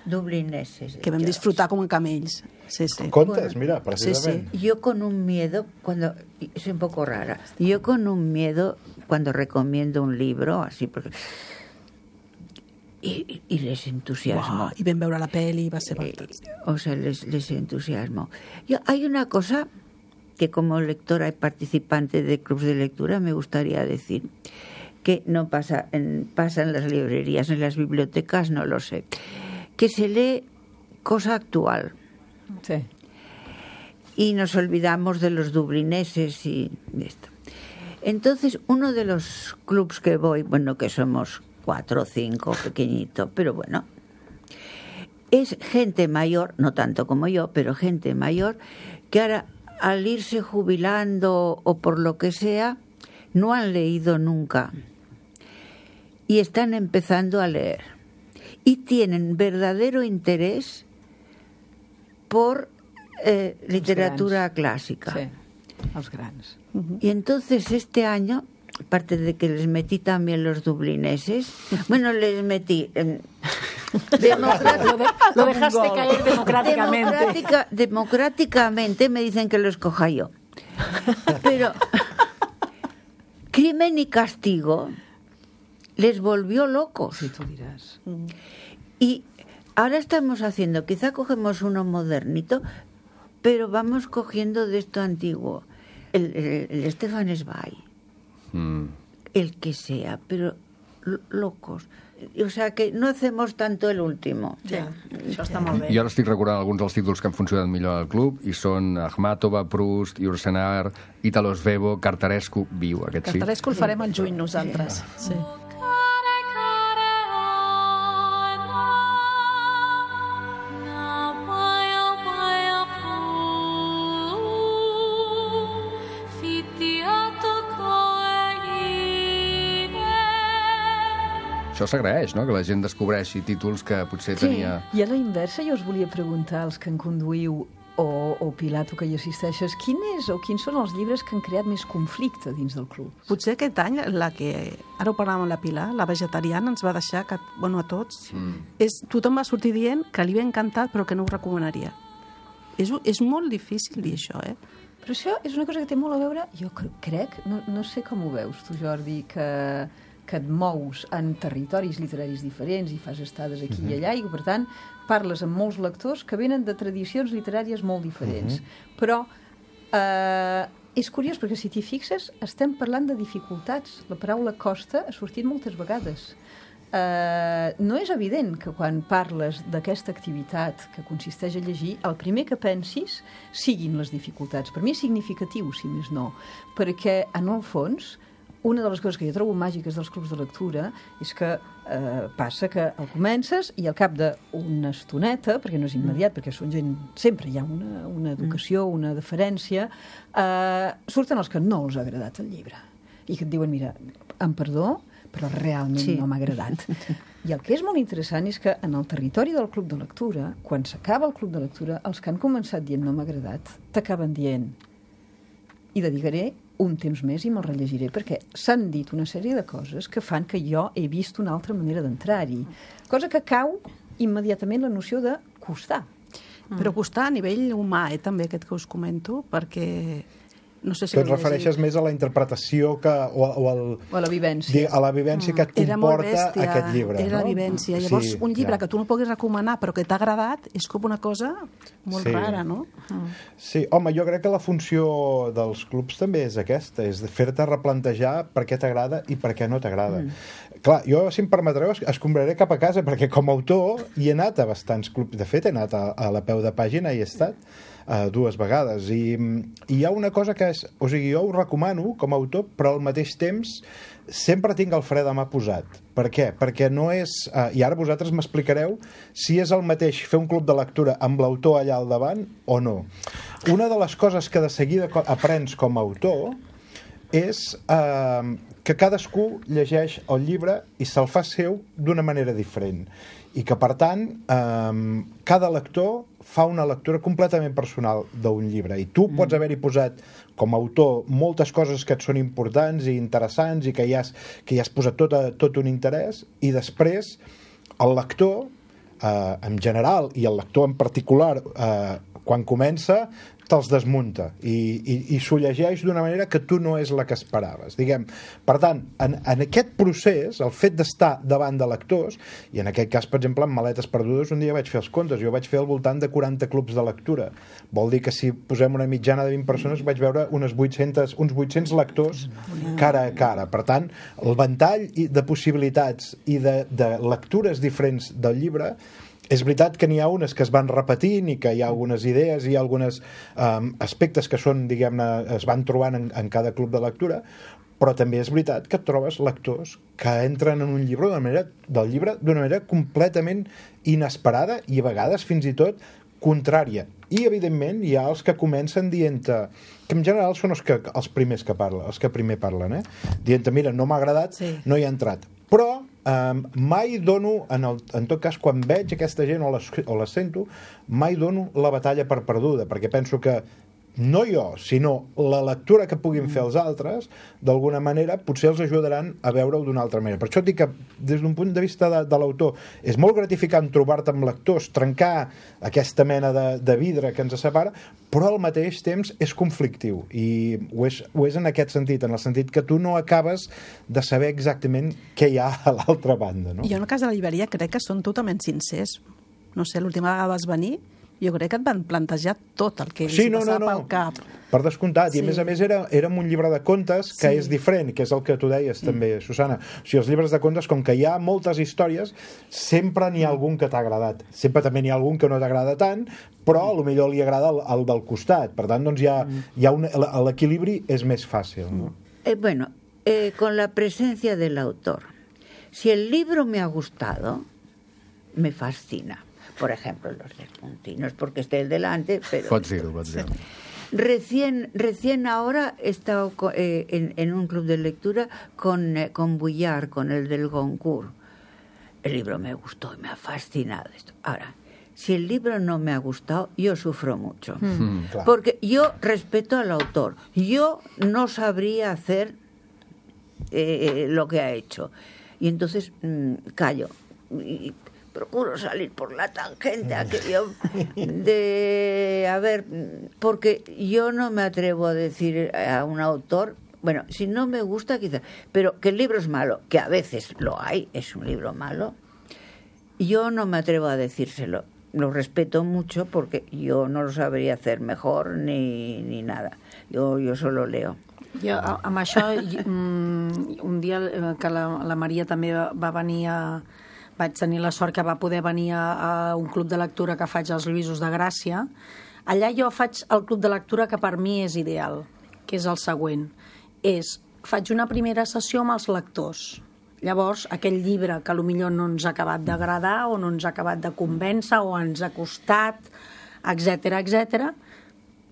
Dublineses. Que vam disfrutar com camells. Sí, sí. Contes, mira, precisamente. Sí, sí. Yo con un miedo, cuando soy un poco rara, yo con un miedo cuando recomiendo un libro, así, porque... Y, y les entusiasmo. Wow, y ven veure la peli, va ser fantàstic. Eh, o sea, les, les entusiasmo. Yo, hay una cosa que como lectora y participante de clubs de lectura me gustaría decir, que no pasa en, pasa en las librerías, en las bibliotecas, no lo sé, que se lee cosa actual. Sí. Y nos olvidamos de los dublineses y de esto. Entonces, uno de los clubs que voy, bueno, que somos cuatro o cinco, pequeñito, pero bueno, es gente mayor, no tanto como yo, pero gente mayor, que ahora, al irse jubilando o por lo que sea, no han leído nunca y están empezando a leer y tienen verdadero interés por eh, literatura clásica. Sí. Els grans. Y entonces este año, aparte de que les metí también los dublineses, bueno, les metí... Eh, democrat- Lo, de- lo dejaste caer democráticamente. Democrática- democráticamente me dicen que lo escoja yo. Pero Crimen y Castigo les volvió locos. Sí, tú dirás. Y ahora estamos haciendo, quizá cogemos uno modernito, pero vamos cogiendo de esto antiguo. El, el, el Stefan Zweig, Mm. el que sea, pero lo- locos. O sea que no hacemos tanto el último. Sí, això està molt bé. Jo ara estic recordant alguns dels títols que han funcionat millor al club i són Akhmatova, Proust, Yourcenar, Italo Svevo, Cartarescu, viu, aquest sí. Cartarescu el farem al juny nosaltres. Sí. Això s'agraeix, no?, que la gent descobreixi títols que potser Sí. tenia... I a la inversa, jo us volia preguntar, als que en conduïu, o, o Pilar, tu que hi assisteixes, quin és o quins són els llibres que han creat més conflicte dins del club? Potser aquest any, la que ara ho parlàvem amb la Pilar, la vegetariana, ens va deixar, que, bueno, a tots, mm. és, tothom va sortir dient que li havia encantat però que no ho recomanaria. És, és molt difícil dir això, eh? Però això és una cosa que té molt a veure, jo cre- crec, no, no sé com ho veus tu, Jordi, que, que et mous en territoris literaris diferents i fas estades aquí uh-huh. i allà, i per tant parles amb molts lectors que venen de tradicions literàries molt diferents. Uh-huh. Però eh, és curiós, perquè si t'hi fixes, estem parlant de dificultats. La paraula costa ha sortit moltes vegades. Uh, no és evident que quan parles d'aquesta activitat que consisteix a llegir, el primer que pensis siguin les dificultats. Per mi és significatiu, si més no, perquè en el fons una de les coses que jo trobo màgiques dels clubs de lectura és que eh, passa que el comences i al cap d'una estoneta, perquè no és immediat, perquè són gent, sempre hi ha una, una educació, una deferència, eh, surten els que no els ha agradat el llibre i que et diuen, mira, em perdó, però realment sí. no m'ha agradat. I el que és molt interessant és que en el territori del club de lectura, quan s'acaba el club de lectura, els que han començat dient no m'ha agradat, t'acaben dient i dedicaré un temps més i me'l rellegiré, perquè s'han dit una sèrie de coses que fan que jo he vist una altra manera d'entrar-hi. Cosa que cau immediatament la noció de costar. Però costar a nivell humà, eh, també, aquest que us comento, perquè... No sé si que et l'heu refereixes llegit. més a la interpretació que, o, o, el, O a la vivència. a la vivència que et Era molt comporta bèstia, aquest llibre. era la no? vivència. Llavors, Sí, un llibre clar. que tu no puguis recomanar però que t'ha agradat és com una cosa molt Sí. rara, no? Sí, home, jo crec que la funció dels clubs també és aquesta, és de fer-te replantejar per què t'agrada i per què no t'agrada. Mm. Clar, jo, si em permetreu, es- escombraré cap a casa, perquè com a autor hi he anat a bastants clubs. De fet, he anat a, a la peu de pàgina i he estat uh, dues vegades. I, I hi ha una cosa que és... O sigui, jo ho recomano com a autor, però al mateix temps sempre tinc el fre de mà posat. Per què? Perquè no és... Uh, I ara vosaltres m'explicareu si és el mateix fer un club de lectura amb l'autor allà al davant o no. Una de les coses que de seguida co- aprens com a autor és eh, que cadascú llegeix el llibre i se'l fa seu d'una manera diferent. I que, per tant, eh, cada lector fa una lectura completament personal d'un llibre. I tu pots haver-hi posat, com a autor, moltes coses que et són importants i interessants i que hi has, que hi has posat tot, a, tot un interès, i després el lector, eh, en general, i el lector en particular, eh, quan comença, te'ls desmunta i, i, i s'ho llegeix d'una manera que tu no és la que esperaves, diguem. Per tant, en, en aquest procés, el fet d'estar davant de lectors, i en aquest cas, per exemple, en Maletes perdudes, un dia vaig fer els comptes, jo vaig fer al voltant de quaranta clubs de lectura. Vol dir que si posem una mitjana de vint persones, vaig veure unes vuit-centes, uns vuit-cents lectors cara a cara. Per tant, el ventall i- de possibilitats i de, de lectures diferents del llibre. És veritat que n'hi ha unes que es van repetint i que hi ha algunes idees i alguns um, aspectes que són, diguem-ne, es van trobant en, en cada club de lectura, però també és veritat que et trobes lectors que entren en un llibre d'una manera, del llibre d'una manera completament inesperada i a vegades fins i tot contrària. I, evidentment, hi ha els que comencen dient-te, que en general són els, que, els primers que parlen, els que primer parlen, eh? Dient-te, mira, no m'ha agradat, Sí. no hi ha entrat. Però um, mai dono, en, el, en tot cas, quan veig aquesta gent o la, o la sento, mai dono la batalla per perduda, perquè penso que no jo, sinó la lectura que puguin fer els altres, d'alguna manera potser els ajudaran a veure-ho d'una altra manera. Per això dic que des d'un punt de vista de, de l'autor és molt gratificant trobar-te amb lectors, trencar aquesta mena de, de vidre que ens separa, però al mateix temps és conflictiu, i ho és, ho és en aquest sentit, en el sentit que tu no acabes de saber exactament què hi ha a l'altra banda, no? Jo en el cas de la llibreria crec que són totalment sincers. No sé, l'última vegada vas venir, jo crec que et van plantejar tot el que sí, els no, passava no, no. pel cap. Per descomptat, Sí. i a més a més era, era un llibre de contes que Sí. és diferent, que és el que tu deies també, Susana. O sigui, els llibres de contes, com que hi ha moltes històries, sempre n'hi ha algun que t'ha agradat. Sempre també n'hi ha algun que no t'agrada tant, però a lo millor li agrada el, el del costat. Per tant, doncs hi ha, hi ha un, l'equilibri és més fàcil, no? Eh, bueno, eh, con la presencia del autor. Si el libro me ha gustado, me fascina. Por ejemplo, los del Puntí. No es porque esté el delante, pero... Pots dir-ho, pots dir-ho. Recién, recién ahora he estado co- eh, en, en un club de lectura con, eh, con Bouillard, con el del Goncourt. El libro me gustó y me ha fascinado esto. Ahora, si el libro no me ha gustado, yo sufro mucho. Mm, clar. Porque yo respeto al autor. Yo no sabría hacer eh, lo que ha hecho. Y entonces mm, callo. Y procuro salir por la tangente aquello de... A ver, porque yo no me atrevo a decir a un autor... Bueno, si no me gusta, quizás... Pero que el libro es malo, que a veces lo hay, es un libro malo, yo no me atrevo a decírselo. Lo respeto mucho porque yo no lo sabría hacer mejor ni, ni nada. Yo, yo solo leo. Jo, a- amb això, i- mm, un dia eh, que la, la Maria també va, va venir a... Vaig tenir la sort que va poder venir a, a un club de lectura que faig als Lluïsos de Gràcia. Allà jo faig el club de lectura que per mi és ideal, que és el següent. És, faig una primera sessió amb els lectors. Llavors, aquell llibre que potser no ens ha acabat d'agradar o no ens ha acabat de convèncer o ens ha costat, etcètera, etcètera,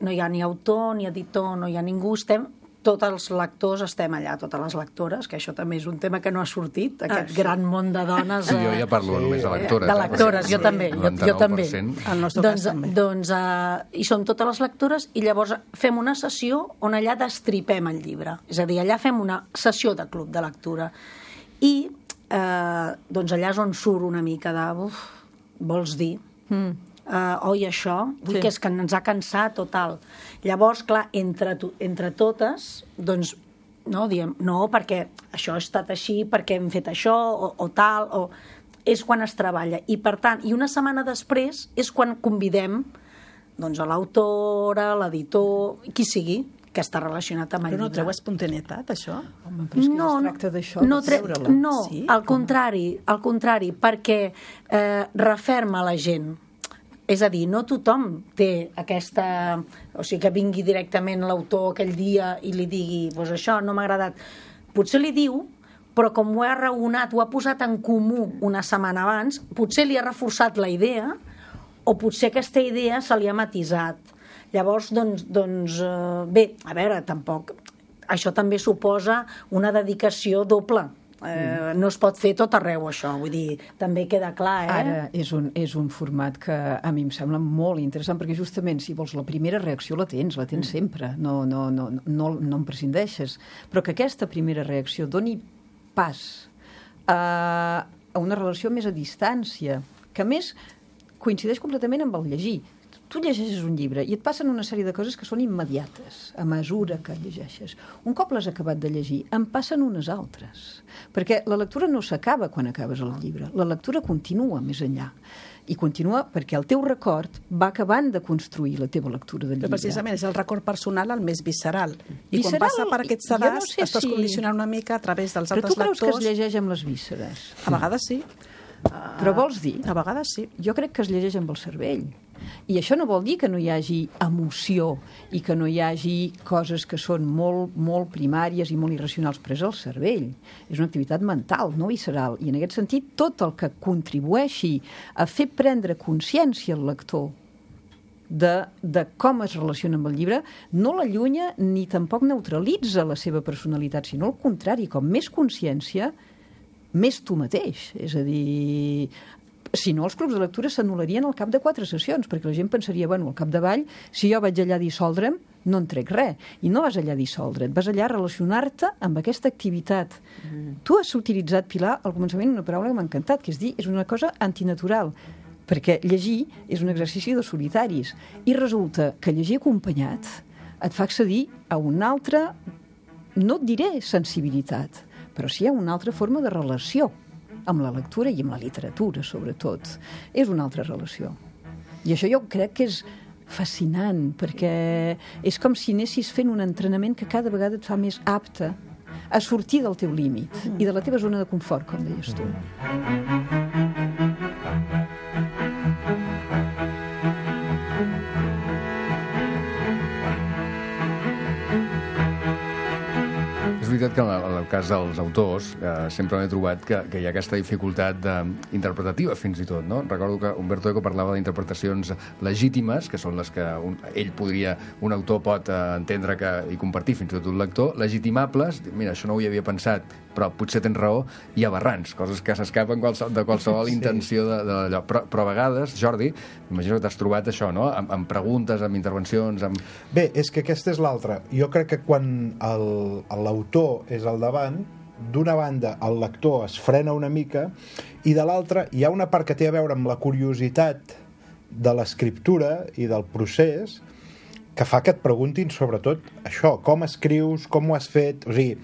no hi ha ni autor, ni editor, no hi ha ningú, estem, tots els lectors estem allà, totes les lectores, que això també és un tema que no ha sortit, aquest Ah, sí. gran món de dones. Jo eh, ja parlo només de lectores. de eh, lectores, perquè jo també, jo, jo també. noranta-nou per cent. El nostre Doncs, cas també. doncs uh, hi som totes les lectores i llavors fem una sessió on allà destripem el llibre. És a dir, allà fem una sessió de club de lectura. I eh, doncs allà és on surt una mica de... Uf, vols dir? Mm. Uh, oi, això? Ui, Sí. que és que ens ha cansat o tal. Llavors, clar, entre, to entre totes, doncs, no, diem, no, perquè això ha estat així, perquè hem fet això, o, o tal, o... És quan es treballa. I, per tant, i una setmana després és quan convidem doncs, a l'autora, l'editor, qui sigui, que està relacionat amb el Però no llibre. treu espontaneïtat, això? Home, però és que no, es tracta d'això, no, de tre- treure-la. no Sí? al contrari, al contrari, perquè eh, referma la gent. És a dir, no tothom té aquesta... O sigui, que vingui directament l'autor aquell dia i li digui, doncs això no m'ha agradat. Potser li diu, però com ho ha raonat, ho ha posat en comú una setmana abans, potser li ha reforçat la idea o potser aquesta idea se li ha matisat. Llavors, doncs, doncs eh, bé, a veure, tampoc... Això també suposa una dedicació doble. Eh, no es pot fer tot arreu, això. Vull dir, també queda clar, eh? Ara és un, és un format que a mi em sembla molt interessant, perquè justament, si vols, la primera reacció la tens, la tens sempre, no, no, no, no, no en prescindeixes, però que aquesta primera reacció doni pas a, a una relació més a distància, que a més coincideix completament amb el llegir. Tu llegeixes un llibre i et passen una sèrie de coses que són immediates a mesura que llegeixes. Un cop l'has acabat de llegir, en passen unes altres. Perquè la lectura no s'acaba quan acabes el llibre. La lectura continua més enllà. I continua perquè el teu record va acabant de construir la teva lectura del Però llibre. precisament és el record personal el més visceral. I Visceral, quan passa per aquests jo no sedars, sé estàs si- condicionant una mica a través dels Però tu altres creus que es lectors. llegeix amb les vísceres? A vegades sí, Però vols dir? a vegades sí. Jo crec que es llegeix amb el cervell. I això no vol dir que no hi hagi emoció i que no hi hagi coses que són molt, molt primàries i molt irracionals, però és el cervell. És una activitat mental, no visceral. I en aquest sentit, tot el que contribueixi a fer prendre consciència al lector de, de com es relaciona amb el llibre, no l'allunya ni tampoc neutralitza la seva personalitat, sinó al contrari, com més consciència, més tu mateix. És a dir, si no, els clubs de lectura s'anul·larien al cap de quatre sessions, perquè la gent pensaria, bueno, al capdavall, si jo vaig allà a dissoldre'm, no en trec res. I no vas allà a dissoldre't, vas allà a relacionar-te amb aquesta activitat. Mm. Tu has utilitzat, Pilar, al començament una paraula que m'ha encantat, que és dir, és una cosa antinatural, perquè llegir és un exercici de solitaris. I resulta que llegir acompanyat et fa accedir a una altra, no et diré sensibilitat, però sí a una altra forma de relació amb la lectura i amb la literatura, sobretot. És una altra relació. I això jo crec que és fascinant, perquè és com si anessis fent un entrenament que cada vegada et fa més apte a sortir del teu límit i de la teva zona de confort, com deies tu. És veritat que en el cas dels autors eh, sempre m'he trobat que, que hi ha aquesta dificultat de, interpretativa fins i tot, no? Recordo que Umberto Eco parlava d'interpretacions legítimes, que són les que un, ell podria, un autor pot eh, entendre que, i compartir fins i tot un lector, legitimables, mira, això no ho hi havia pensat, però potser tens raó, i aberrants, coses que s'escapen qualsevol, de qualsevol sí. intenció de, de allò. Però, però a vegades, Jordi, imagino que t'has trobat això, no? Amb, amb preguntes, amb intervencions, amb... Bé, és que aquesta és l'altra. Jo crec que quan l'autor és al davant, d'una banda el lector es frena una mica i de l'altra hi ha una part que té a veure amb la curiositat de l'escriptura i del procés que fa que et preguntin sobretot això, com escrius, com ho has fet, o sigui,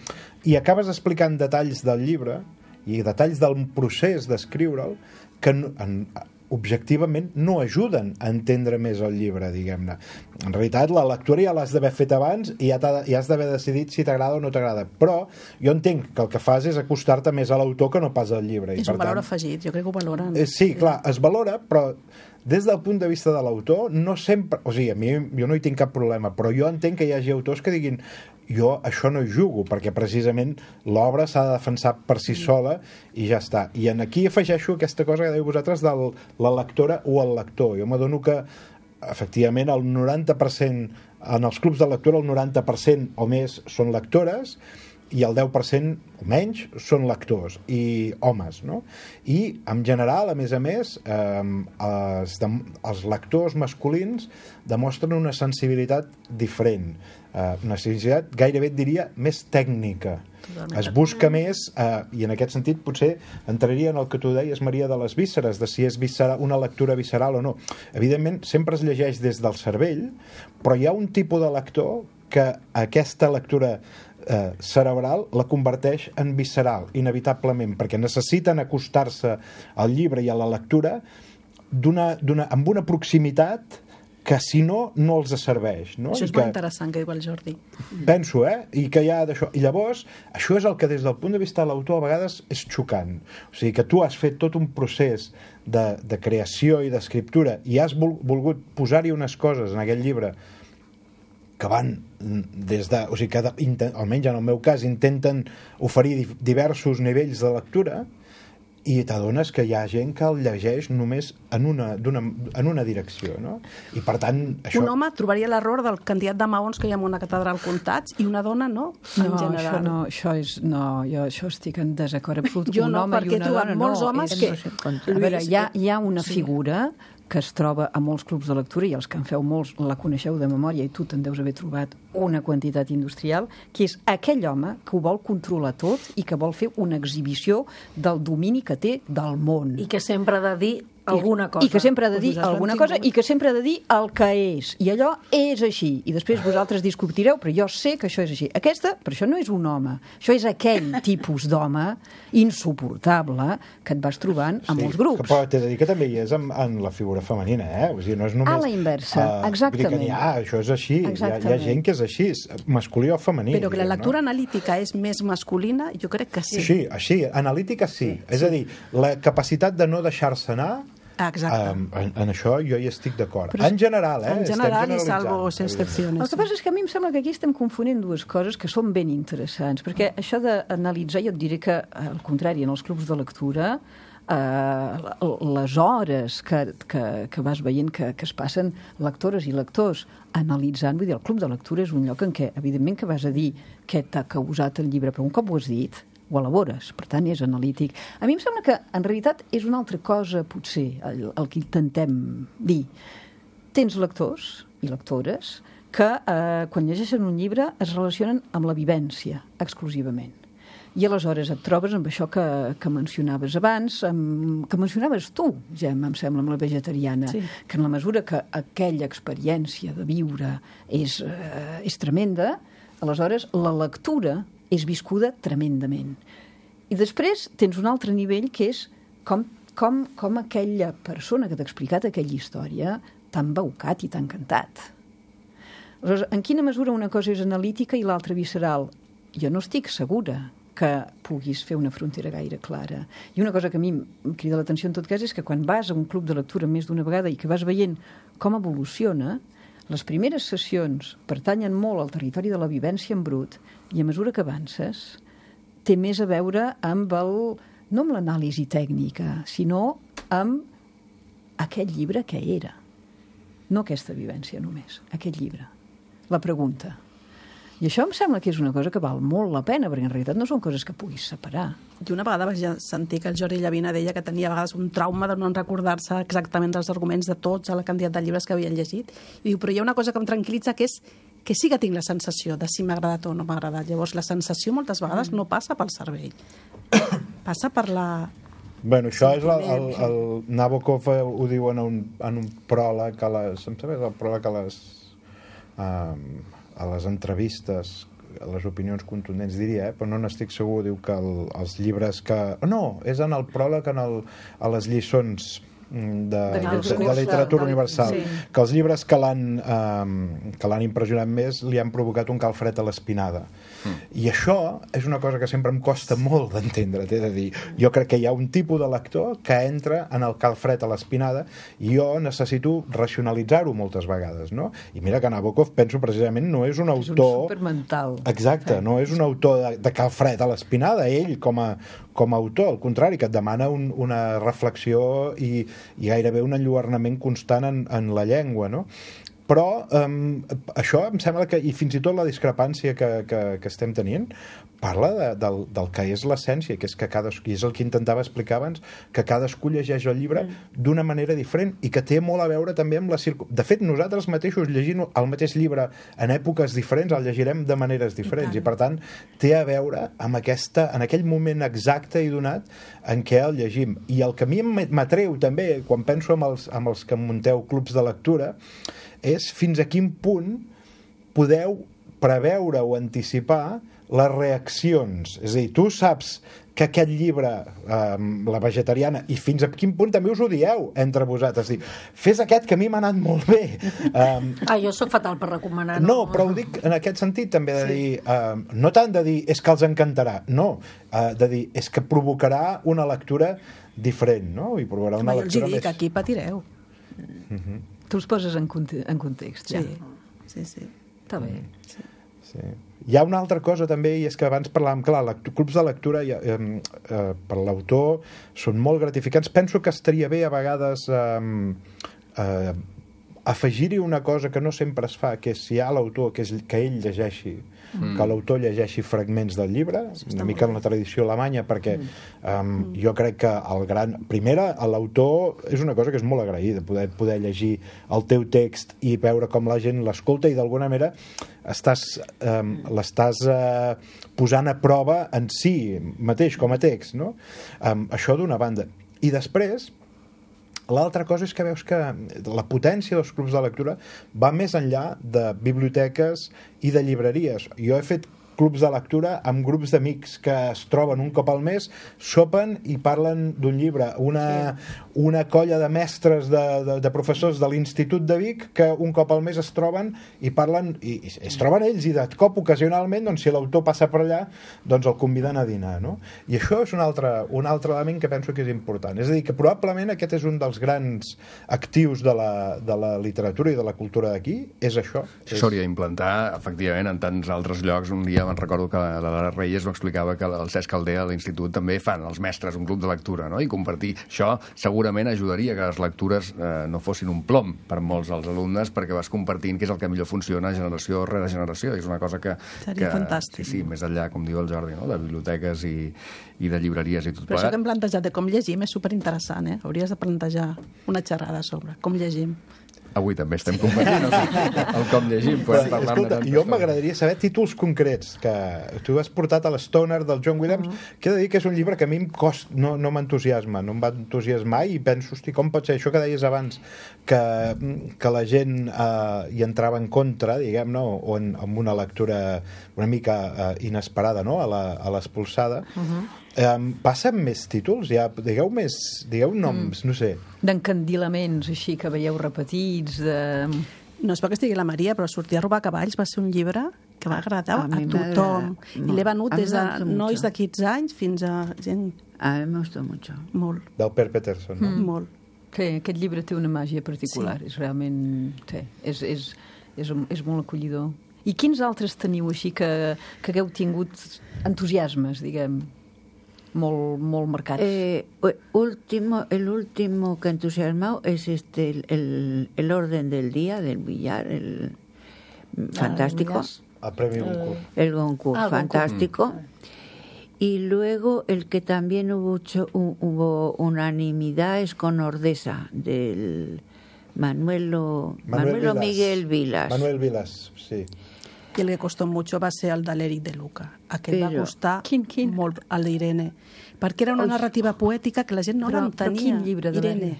i acabes explicant detalls del llibre i detalls del procés d'escriure'l que en, objectivament no ajuden a entendre més el llibre, diguem-ne. En realitat, la lectura ja l'has d'haver fet abans i ja, ja has d'haver decidit si t'agrada o no t'agrada. Però jo entenc que el que fas és acostar-te més a l'autor que no pas al llibre. És I, per un valor tant, afegit, jo crec que ho valoren. Eh, sí, clar, es valora, però des del punt de vista de l'autor, no sempre... O sigui, a mi jo no hi tinc cap problema, però jo entenc que hi hagi autors que diguin jo això no hi jugo, perquè precisament l'obra s'ha de defensar per si sola i ja està. I en aquí afegeixo aquesta cosa que dèieu vosaltres de la lectora o el lector. Jo m'adono que, efectivament, el noranta per cent, en els clubs de lectura, el noranta per cent o més són lectores i el deu per cent o menys són lectors i homes, no? I en general, a més a més, eh, els, els lectors masculins demostren una sensibilitat diferent, eh, una sensibilitat gairebé et diria més tècnica. Totalment. Es busca més, eh, i en aquest sentit potser entraria en el que tu deies, Maria, de les vísceres, de si és visceral, una lectura visceral o no. Evidentment, sempre es llegeix des del cervell, però hi ha un tipus de lector que aquesta lectura eh, cerebral la converteix en visceral, inevitablement, perquè necessiten acostar-se al llibre i a la lectura d'una, d'una, amb una proximitat que si no, no els serveix, no? Això és I molt que, interessant que diu el Jordi. Penso, eh? I que hi ha d'això. I llavors, això és el que des del punt de vista de l'autor a vegades és xocant. O sigui, que tu has fet tot un procés de, de creació i d'escriptura i has vol, volgut posar-hi unes coses en aquell llibre que van des de... O sigui, que intent, almenys en el meu cas intenten oferir diversos nivells de lectura i t'adones que hi ha gent que el llegeix només en una, en una direcció, no? I per tant... Això... Un home trobaria l'error del candidat de maons que hi ha en una catedral comptats i una dona no, en no, general. Això no, això és... No, jo això estic en desacord absolut. Jo un no, home perquè i he una trobat dona, molts no, homes és, que... A veure, hi ha, hi ha una sí. figura que es troba a molts clubs de lectura, i els que en feu molts la coneixeu de memòria, i tu te'n deus haver trobat una quantitat industrial, que és aquell home que ho vol controlar tot i que vol fer una exhibició del domini que té del món. I que sempre ha de dir alguna cosa. I que sempre ha de dir Pues alguna cosa i que sempre ha de dir el que és. I allò és així. I després vosaltres discutireu, però jo sé que això és així. Aquesta, per això no és un home. Això és aquell tipus d'home insuportable que et vas trobant a sí, molts grups. Que, però t'he de dir que també hi és en, en la figura femenina, eh? O sigui, no és només... A la inversa, uh, exactament. Dir que, ah, això és així. Hi ha, hi ha gent que és així, masculí o femení. Però que la diguem, lectura no? analítica és més masculina, jo crec que sí. Sí, així, analítica sí. sí. És a dir, la capacitat de no deixar-se anar, exacte. Um, en, en això jo hi estic d'acord. En general, eh? En general i salvo excepcions. El que passa és que a mi em sembla que aquí estem confonent dues coses que són ben interessants, perquè això d'analitzar, jo et diré que, al contrari, en els clubs de lectura, eh, les hores que, que, que vas veient que, que es passen lectores i lectors analitzant, vull dir, el club de lectura és un lloc en què, evidentment, que vas a dir què t'ha causat el llibre, però un cop ho has dit, ho elabores, per tant és analític. A mi em sembla que en realitat és una altra cosa potser el, el que intentem dir. Tens lectors i lectores que eh, quan llegeixen un llibre es relacionen amb la vivència exclusivament. I aleshores et trobes amb això que, que mencionaves abans, amb, que mencionaves tu, Gemma, em sembla, amb la vegetariana, sí. Que en la mesura que aquella experiència de viure és, eh, és tremenda, aleshores la lectura és viscuda tremendament. I després tens un altre nivell que és com, com, com aquella persona que t'ha explicat aquella història t'ha embaucat i t'ha encantat. Aleshores, en quina mesura una cosa és analítica i l'altra visceral? Jo no estic segura que puguis fer una frontera gaire clara. I una cosa que a mi em crida l'atenció en tot cas és que quan vas a un club de lectura més d'una vegada i que vas veient com evoluciona, les primeres sessions pertanyen molt al territori de la vivència en brut i a mesura que avances té més a veure amb el, no amb l'anàlisi tècnica, sinó amb aquest llibre que era. No aquesta vivència només, aquest llibre. La pregunta. I això em sembla que és una cosa que val molt la pena, perquè en realitat no són coses que puguis separar. I una vegada vaig sentir que el Jordi Llavina deia que tenia a vegades un trauma de no recordar-se exactament dels arguments de tots a la quantitat de llibres que havien llegit. I diu, però hi ha una cosa que em tranquil·litza, que és que sí que tinc la sensació de si m'ha agradat o no m'ha agradat. Llavors, la sensació moltes vegades no passa pel cervell. Passa per la... Bueno, això és el, el, el Nabokov ho diu en un, en un pròleg a les... Em sabes el pròleg a les... Um, a les entrevistes, a les opinions contundents, diria, eh? Però no n'estic segur, diu que el, els llibres que... No, és en el pròleg en el, a les lliçons de, de, de, de literatura universal, sí. Que els llibres que l'han eh, que l'han impressionat més li han provocat un calfred a l'espinada. Mm. I això és una cosa que sempre em costa molt d'entendre, t'he de dir. Jo crec que hi ha un tipus de lector que entra en el calfred a l'espinada i jo necessito racionalitzar-ho moltes vegades, no? I mira que Nabokov, penso precisament, no és un autor... És un supermental. Exacte, no és un autor de, de calfred a l'espinada, ell com a, com a autor, al contrari, que et demana un, una reflexió i, i gairebé un enlluernament constant en, en la llengua, no? Però um, això em sembla que, i fins i tot la discrepància que, que, que estem tenint, parla de, del, del que és l'essència, que és que cadascú, i és el que intentava explicar abans, que cadascú llegeix el llibre mm. d'una manera diferent i que té molt a veure també amb la circunstància. De fet, nosaltres mateixos llegint el mateix llibre en èpoques diferents el llegirem de maneres diferents i, i per tant, té a veure amb aquesta, en aquell moment exacte i donat en què el llegim. I el que a mi m'atreu també, quan penso amb els, amb els que munteu clubs de lectura, és fins a quin punt podeu preveure o anticipar les reaccions. És a dir, tu saps que aquest llibre, eh, La vegetariana, i fins a quin punt també us ho dieu entre vosaltres. Dir, fes aquest que a mi m'ha anat molt bé. Um, ah, jo sóc fatal per recomanar. No, no però ho dic en aquest sentit també de sí. dir, uh, no tant de dir és que els encantarà, no, uh, de dir és que provocarà una lectura diferent, no? I provocarà una Home, lectura jo els dic, més... aquí patireu. Uh-huh. Tu els poses en, conte en context, ja. Sí, sí, sí. Està bé. Sí. Sí. Hi ha una altra cosa també, i és que abans parlàvem, clar, clubs de lectura eh, eh, per l'autor són molt gratificants. Penso que estaria bé a vegades eh, eh, afegir-hi una cosa que no sempre es fa, que és si hi ha l'autor, que, és, que ell llegeixi, mm. que l'autor llegeixi fragments del llibre, sí, una mica en la tradició alemanya, perquè um, jo crec que el gran... Primera, l'autor és una cosa que és molt agraïda, poder, poder llegir el teu text i veure com la gent l'escolta i d'alguna manera estàs, um, l'estàs uh, posant a prova en si mateix, com a text, no? Um, això d'una banda. I després... L'altra cosa és que veus que la potència dels clubs de lectura va més enllà de biblioteques i de llibreries. Jo he fet clubs de lectura amb grups d'amics que es troben un cop al mes, sopen i parlen d'un llibre. Una, sí. una colla de mestres, de, de, de professors de l'Institut de Vic que un cop al mes es troben i parlen, i, i es troben ells i de cop ocasionalment, doncs, si l'autor passa per allà, doncs el conviden a dinar, no? I això és un altre, un altre element que penso que és important. És a dir, que probablement aquest és un dels grans actius de la, de la literatura i de la cultura d'aquí, és això. Això s'hauria d'implantar, efectivament, en tants altres llocs. Un dia me'n recordo que la Lara Reyes m'ho explicava que el Cesc Caldea a l'institut també fan, els mestres, un club de lectura, no? I compartir això segurament ajudaria que les lectures eh, no fossin un plom per molts dels alumnes, perquè vas compartint què és el que millor funciona generació rere generació. És una cosa que... Seria que, fantàstic. Sí, sí, més enllà, com diu el Jordi, no? De biblioteques i, i de llibreries i tot plegat. Però això que hem plantejat de com llegim és superinteressant, eh? Hauries de plantejar una xerrada sobre com llegim. Avui també estem compartint el, el com llegim. Podem parlar Escolta, jo m'agradaria saber títols concrets, que tu has portat a l'Stoner del John Williams, mm. que he de dir que és un llibre que a mi em cost, no, no m'entusiasma, no em va entusiasmar, i penso, hosti, com pot ser això que deies abans, que, que la gent eh, hi entrava en contra, diguem, no? O en, amb una lectura una mica eh, inesperada, no? a l'expulsada. Uh-huh. Um, passa amb més títols? Ja, digueu més, digueu noms, mm. no sé. D'encandilaments, així, que veieu repetits, de... No és perquè estigui la Maria, però Sortir a robar cavalls va ser un llibre que va agradar a, a tothom. I l'he venut des de nois de quinze anys fins a gent... A mi me gustó mucho. Molt. Del Per Peterson, no? Mm. Molt. Sí, aquest llibre té una màgia particular. Sí. És realment... Sí, és, és, és, és molt acollidor. I quins altres teniu així que, que hagueu tingut entusiasmes, diguem, molt, molt marcats? Eh, último, el último que entusiasmado es este, el, el, el orden del día del billar, el fantástico. El premio Goncourt. El Goncourt, ah, fantástico. Goncourt. Y luego el que también hubo, hubo unanimidad es con Ordesa, del Manuelo, Manuel Manuelo Vilas. Miguel Vilas. Manuel Vilas, sí. I el que costó mucho va ser el de l'Eric de Luca. Aquest Però... va costar quin, quin? molt, el d'Irene. Perquè era una Ui. narrativa poètica que la gent no Però- l'entenia. però quin llibre de Irene.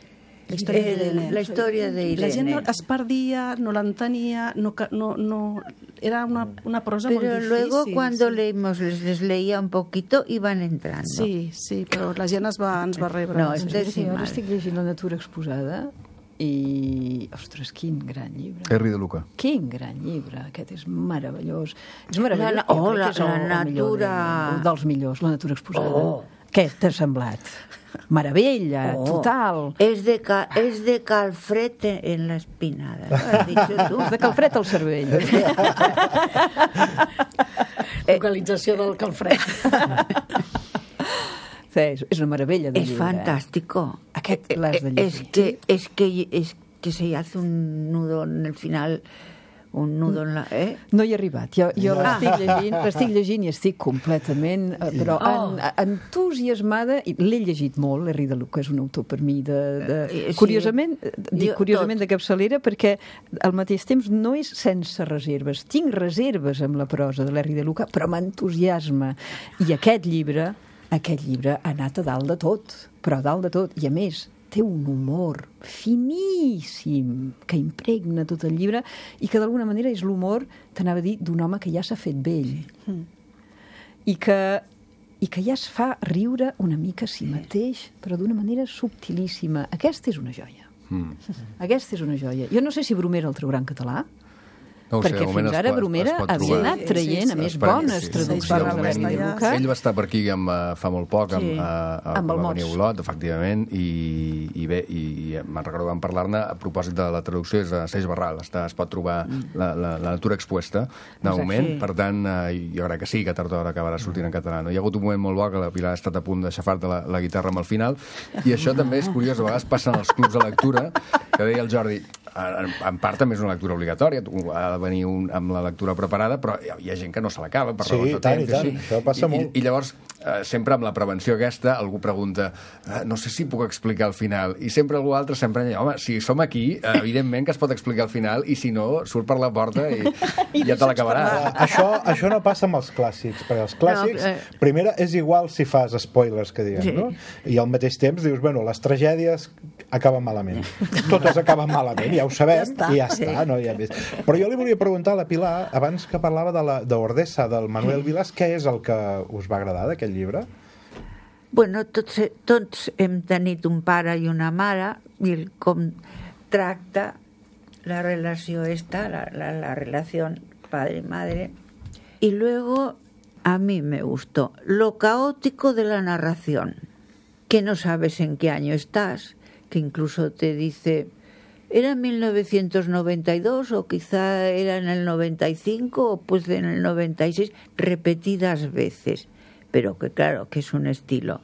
La història El- d'Irene. la història d'Irene. La gent no, es perdia, no l'entenia, no, ca- no, no, era una, una prosa Pero molt difícil. luego cuando sí. leímos, les, les leía un poquito, iban entrando. Sí, sí, però la gent es va, ens va rebre. No, Sí. este Sí, sí, ara mal. estic llegint La natura exposada i, ostres, quin gran llibre. Henry de Luca. Quin gran llibre, aquest és meravellós. És meravellós. La- Jo oh, crec la- que és el, la el millor natura. de, dels millors, La natura exposada. Oh. Què t'ha semblat? Meravella, Oh, total. Es de, ca, es de calfret en la espinada. ¿Lo has dicho tú? És de calfred al cervell. Localització del calfred. Sí, és, és una meravella de Es llibre. fantástico. Aquest l'has de Es llegir. que, es que es que se hace un nudo en el final, un nudo en la... ¿eh? No hi he arribat. Jo, jo l'estic llegint, l'estic llegint i estic completament, eh, però Oh. en, entusiasmada, i l'he llegit molt, Henry de Luca és un autor per mi de... de Eh, sí. curiosament, dic Jo, curiosament tot. de capçalera, perquè al mateix temps no és sense reserves. Tinc reserves amb la prosa de l'Henry de Luca, però m'entusiasma. I aquest llibre, aquest llibre ha anat a dalt de tot, però a dalt de tot. I a més, té un humor finíssim que impregna tot el llibre i que d'alguna manera és l'humor, t'anava a dir, d'un home que ja s'ha fet vell. Mm. I que, i que ja es fa riure una mica a si mateix, però d'una manera subtilíssima. Aquesta és una joia. Mm. Aquesta és una joia. Jo no sé si Bromera el traurà en català, No ho sé, perquè de moment fins es ara pot- Bromera es pot havia trobar. anat traient, Sí, sí, a més, Esperem- bones sí, sí, traduccions sí, de de moment- l'Henry de Luca. Ell va estar per aquí amb, uh, fa molt poc amb, Sí. uh, uh, Amb el va Mots. venir a Olot, efectivament, i, i bé, i, i me'n recordo que vam parlar-ne a propòsit de la traducció, és a Seix Barral, està, es pot trobar la, la, la natura expuesta de Exacte. moment, Sí. per tant, uh, jo crec que sí, que tard o d'hora acabarà sortint en català. No? Hi ha hagut un moment molt bo que la Pilar ha estat a punt de xafar-te la, la guitarra amb el final, i això també és curiós, a vegades passen als clubs de lectura, que deia el Jordi, en, en part també és una lectura obligatòria, tu ha de venir un, amb la lectura preparada, però hi ha, hi ha gent que no se l'acaba per Sí, raons de i tant, temps. i tant, així. això passa I, molt. I, I llavors, eh, sempre amb la prevenció aquesta, algú pregunta, eh, no sé si puc explicar el final, i sempre algú altre sempre deia, home, si som aquí, eh, evidentment que es pot explicar el final, i si no, surt per la porta i, i ja te l'acabaràs. Això, això no passa amb els clàssics, perquè els clàssics, No, eh. primera, és igual si fas spoilers, que diguem, Sí. no? I al mateix temps dius, bueno, les tragèdies acaben malament. Totes acaben malament, ja ho sabem, Ja està. i ja està, no hi ha més. Però jo li volia preguntar a la Pilar, abans que parlava de la d'Ordesa, del Manuel Vilas, què és el que us va agradar d'aquest llibre? Bueno, tots, tots hem tenit un pare i una mare, i el com tracta la relació esta, la, la, la relación padre-madre. Y luego, a mí me gustó lo caótico de la narración, que no sabes en qué año estás, que incluso te dice, ¿era en mil novecientos noventa y dos o quizá era en el noventa y cinco o pues en el noventa y seis, repetidas veces, pero que claro, que es un estilo.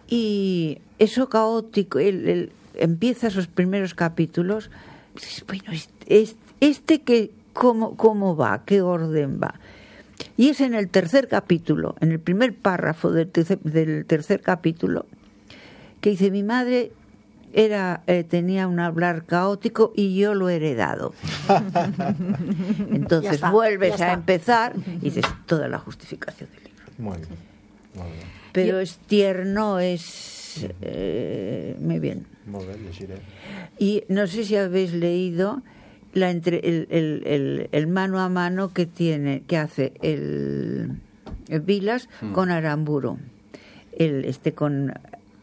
Y eso caótico, el, el, empieza esos primeros capítulos, dices, bueno, este, este que, ¿cómo, ¿cómo va? ¿Qué orden va? Y es en el tercer capítulo, en el primer párrafo del tercer, del tercer capítulo, que dice, mi madre era, eh, tenía un hablar caótico y yo lo he heredado. Entonces está, vuelves ya a está. empezar y dices toda la justificación del libro. Muy bien, molt bé. Pero es tierno, es eh, muy bien. Molt bé, llegiré. Y no sé si habéis leído la entre, el, el, el, el mano a mano que tiene, que hace el, el Vilas mm. con Aramburu. El, este con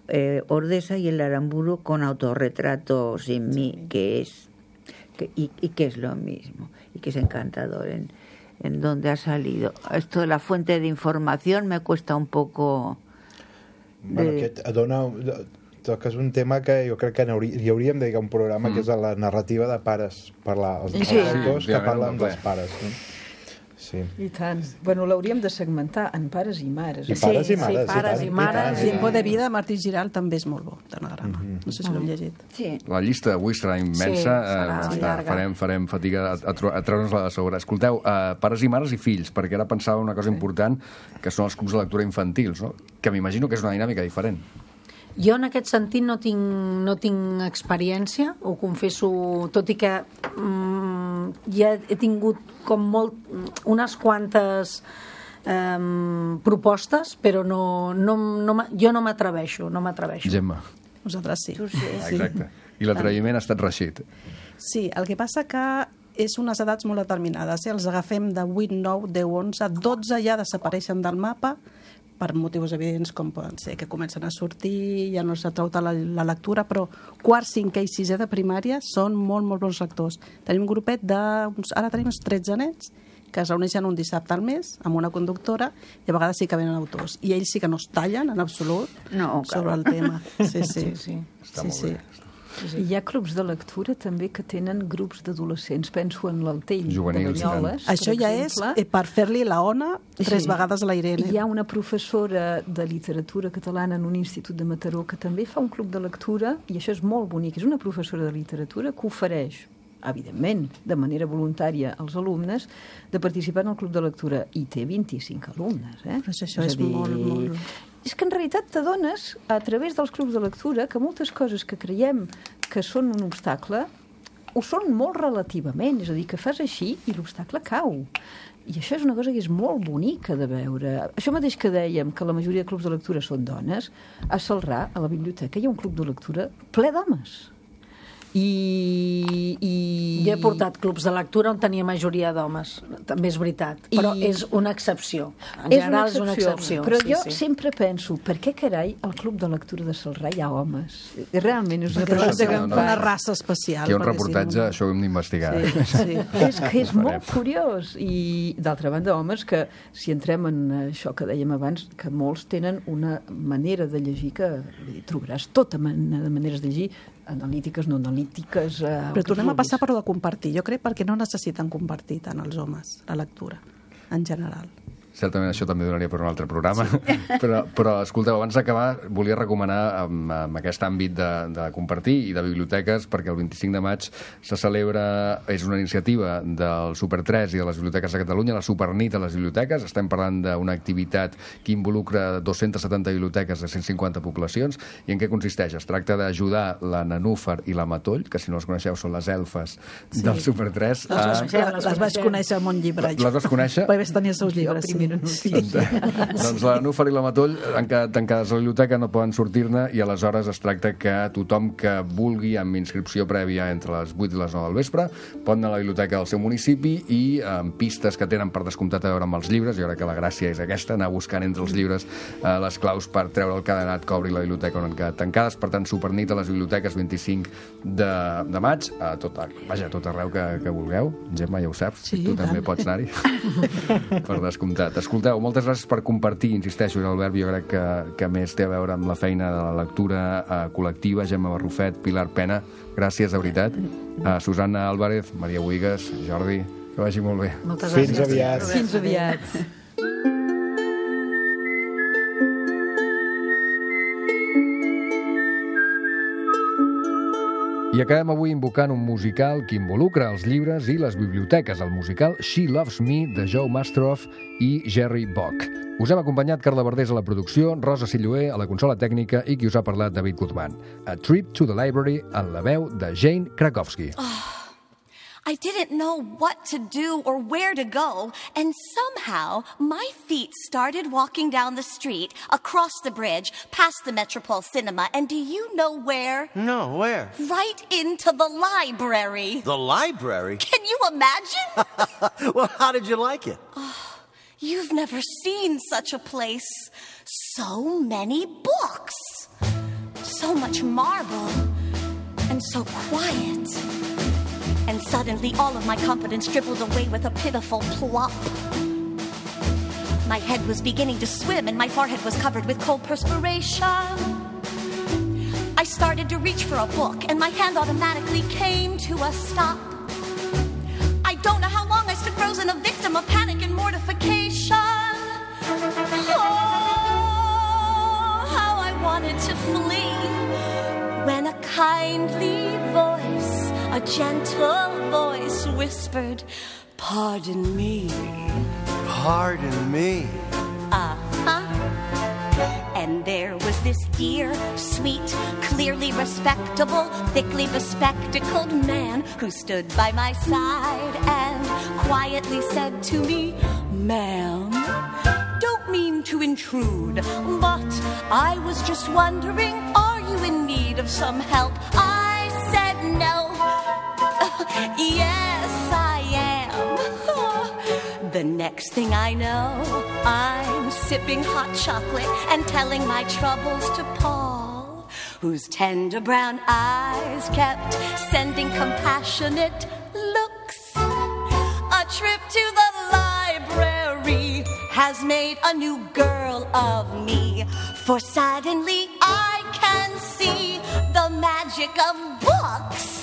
eh, Ordesa y el Aramburu con autorretrato sin mí, que es que, y, y que es lo mismo y que es encantador en, en donde ha salido. Esto de la fuente de información me cuesta un poco Bueno, de... aquest dona... Toques un tema que jo crec que n'haurí- hi hauríem de dedicar un programa mm. que és la narrativa de pares, parlar, els Sí. narradors Sí, que òbviament, parlen no, dels ple. pares. No? Sí. I tant. Bueno, l'hauríem de segmentar en pares i mares. I pares Sí, i mares, sí, pares i, tant, i mares, tant, sí. i Tiempo tant. de vida de Martí Giral també és molt bo, d'anagrama. No sé si l'heu llegit. Sí. La llista d'avui serà immensa. Sí, serà eh, està, llarga. farem, farem fatiga a, a, tro- a treure'ns-la de sobre. Escolteu, uh, pares i mares i fills, perquè ara pensava una cosa important, que són els clubs de lectura infantils, no? Que m'imagino que és una dinàmica diferent. Jo en aquest sentit no tinc, no tinc experiència, ho confesso, tot i que mm, ja he tingut com molt, unes quantes eh, propostes, però no, no, no, m'ha- jo no m'atreveixo, no m'atreveixo. Gemma. Nosaltres sí. Tu sí. Exacte. I l'atreviment ha estat reixit. Sí, el que passa que és unes edats molt determinades. Eh? Els agafem de vuit, nou, deu, onze, dotze ja desapareixen del mapa per motius evidents com poden ser que comencen a sortir, ja no s'atrau tant la, la lectura, però quart, cinquè i sisè de primària són molt, molt bons lectors. Tenim un grupet de... Uns, ara tenim uns tretze nens que es reuneixen un dissabte al mes amb una conductora i a vegades sí que venen autors. I ells sí que no es tallen en absolut No, sobre el tema. Sí, sí. Sí, sí. Està sí, molt sí. bé. I hi ha clubs de lectura també que tenen grups d'adolescents. Penso en l'Altell Juvenils, de Banyoles, Això per ja és exemple. eh, per fer-li la ona tres Sí. vegades a la Irene. Hi ha una professora de literatura catalana en un institut de Mataró que també fa un club de lectura, i això és molt bonic. És una professora de literatura que ofereix, evidentment, de manera voluntària als alumnes, de participar en el club de lectura. I té vint-i-cinc alumnes. Eh? Però això és a dir, molt, molt... És que en realitat t'adones, a través dels clubs de lectura, que moltes coses que creiem que són un obstacle ho són molt relativament, és a dir, que fas així i l'obstacle cau. I això és una cosa que és molt bonica de veure. Això mateix que dèiem, que la majoria de clubs de lectura són dones, a Celrà, a la biblioteca, hi ha un club de lectura ple d'homes. I, i... Jo he portat clubs de lectura on tenia majoria d'homes, també és veritat, però I- és una excepció. En És general una és una excepció, excepció. però sí, jo sí. sempre penso, per què carai al club de lectura de Celrà hi ha homes? Realment és una Perquè pregunta que no, em no. fa. una raça especial. Aquí hi ha un perquè si reportatge, no- això ho hem d'investigar. Sí, sí. És que és molt curiós. I, d'altra banda, homes, que si entrem en això que dèiem abans, que molts tenen una manera de llegir que vull dir, trobaràs tota mena de maneres de llegir, analítiques, no analítiques... Eh, Però tornem a passar per lo de compartir. Jo crec perquè no necessiten compartir tant els homes, la lectura, en general. Certament això també donaria per un altre programa. Sí. Però, però, escolteu, abans d'acabar, volia recomanar amb, amb aquest àmbit de, de compartir i de biblioteques, perquè el vint-i-cinc de maig se celebra, és una iniciativa del Super tres i de les biblioteques de Catalunya, la Supernit a les biblioteques. Estem parlant d'una activitat que involucra dues-centes setanta biblioteques de cent cinquanta poblacions. I en què consisteix? Es tracta d'ajudar la Nanúfar i la Matoll, que si no les coneixeu són les elfes sí. del Super tres. Les, a... les, les, les vaig conèixer al món llibre. Les vas conèixer? Perquè vaig tenir els seus llibres, sí. Sí. Doncs la Núfar i la Matoll, han quedat tancades a la biblioteca, no poden sortir-ne, i aleshores es tracta que tothom que vulgui, amb inscripció prèvia entre les vuit i les nou del vespre, pot anar a la biblioteca del seu municipi i amb pistes que tenen per descomptat a veure amb els llibres. Jo crec que la gràcia és aquesta, anar buscant entre els llibres eh, les claus per treure el cadenat que obri la biblioteca on han quedat tancades. Per tant, Supernit a les biblioteques vint-i-cinc de, de maig, a tot, vaja, a tot arreu que, que vulgueu. Gemma, ja ho saps, Sí, tu també tant. pots anar-hi per descomptat. Escolteu, moltes gràcies per compartir, insisteixo, és el verb jo crec que, que més té a veure amb la feina de la lectura eh, col·lectiva. Gemma Barrufet, Pilar Pena, gràcies de veritat. Uh, Susana Álvarez, Maria Buigas, Jordi, que vagi molt bé. Moltes Fins gràcies. aviat. Fins aviat. I acabem avui invocant un musical que involucra els llibres i les biblioteques, el musical She Loves Me, de Joe Mastroff i Jerry Bock. Us hem acompanyat Carla Verdés a la producció, Rosa Silloé a la consola tècnica i qui us ha parlat, David Guzmán. A Trip to the Library, en la veu de Jane Krakowski. Oh. I didn't know what to do or where to go, and somehow my feet started walking down the street, across the bridge, past the Metropole Cinema, and do you know where? No, where? Right into the library. The library? Can you imagine? Well, how did you like it? Oh, you've never seen such a place. So many books. So much marble. And so quiet. And suddenly all of my confidence dribbled away with a pitiful plop. My head was beginning to swim and my forehead was covered with cold perspiration. I started to reach for a book and my hand automatically came to a stop. I don't know how long I stood frozen, a victim of panic and mortification. Oh, how I wanted to flee when a kindly voice, a gentle voice whispered, "Pardon me." Pardon me. Uh-huh. And there was this dear, sweet, clearly respectable, thickly bespectacled man who stood by my side and quietly said to me, "Ma'am, don't mean to intrude, but I was just wondering, are you in need of some help?" I said no. Yes, I am. The next thing I know, I'm sipping hot chocolate and telling my troubles to Paul, whose tender brown eyes kept sending compassionate looks. A trip to the library has made a new girl of me, for suddenly I can see the magic of books.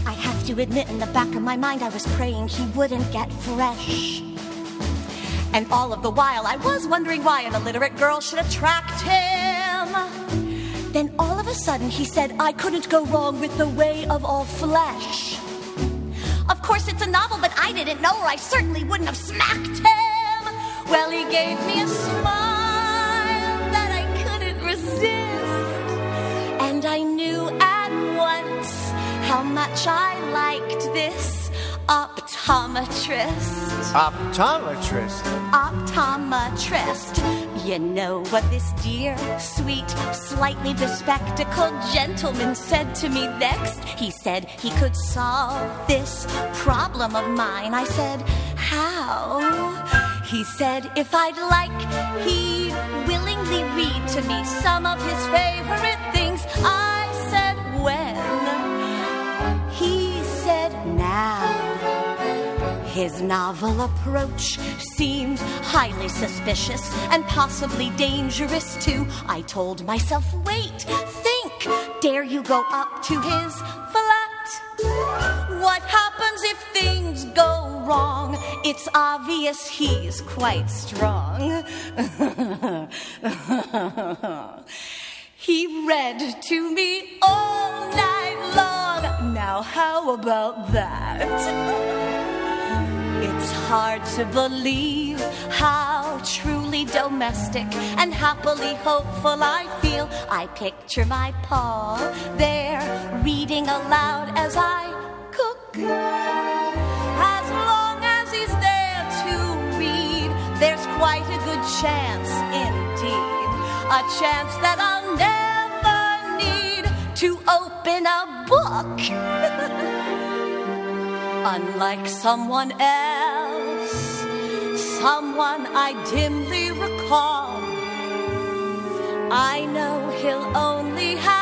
I have to admit, in the back of my mind I was praying he wouldn't get fresh. And all of the while I was wondering why an illiterate girl should attract him. Then all of a sudden he said I couldn't go wrong with The Way of All Flesh. Of course it's a novel, but I didn't know, or I certainly wouldn't have smacked him. Well, he gave me a smile that I couldn't resist, and I knew at once how much I liked this optometrist. Optometrist? Optometrist. You know what this dear, sweet, slightly bespectacled gentleman said to me next? He said he could solve this problem of mine. I said, how? He said if I'd like, he'd willingly read to me some of his favorite things. I said, when? He said, now. His novel approach seemed highly suspicious and possibly dangerous too. I told myself, wait, think, dare you go up to his flat? What happens if things go wrong? It's obvious he's quite strong. He read to me all night long. Now how about that? It's hard to believe how truly domestic and happily hopeful I feel. I picture my Paul there reading aloud as I cook. As long as he's there to read, there's quite a good chance indeed. A chance that I'll never need to open a book. Unlike someone else, someone I dimly recall, I know he'll only have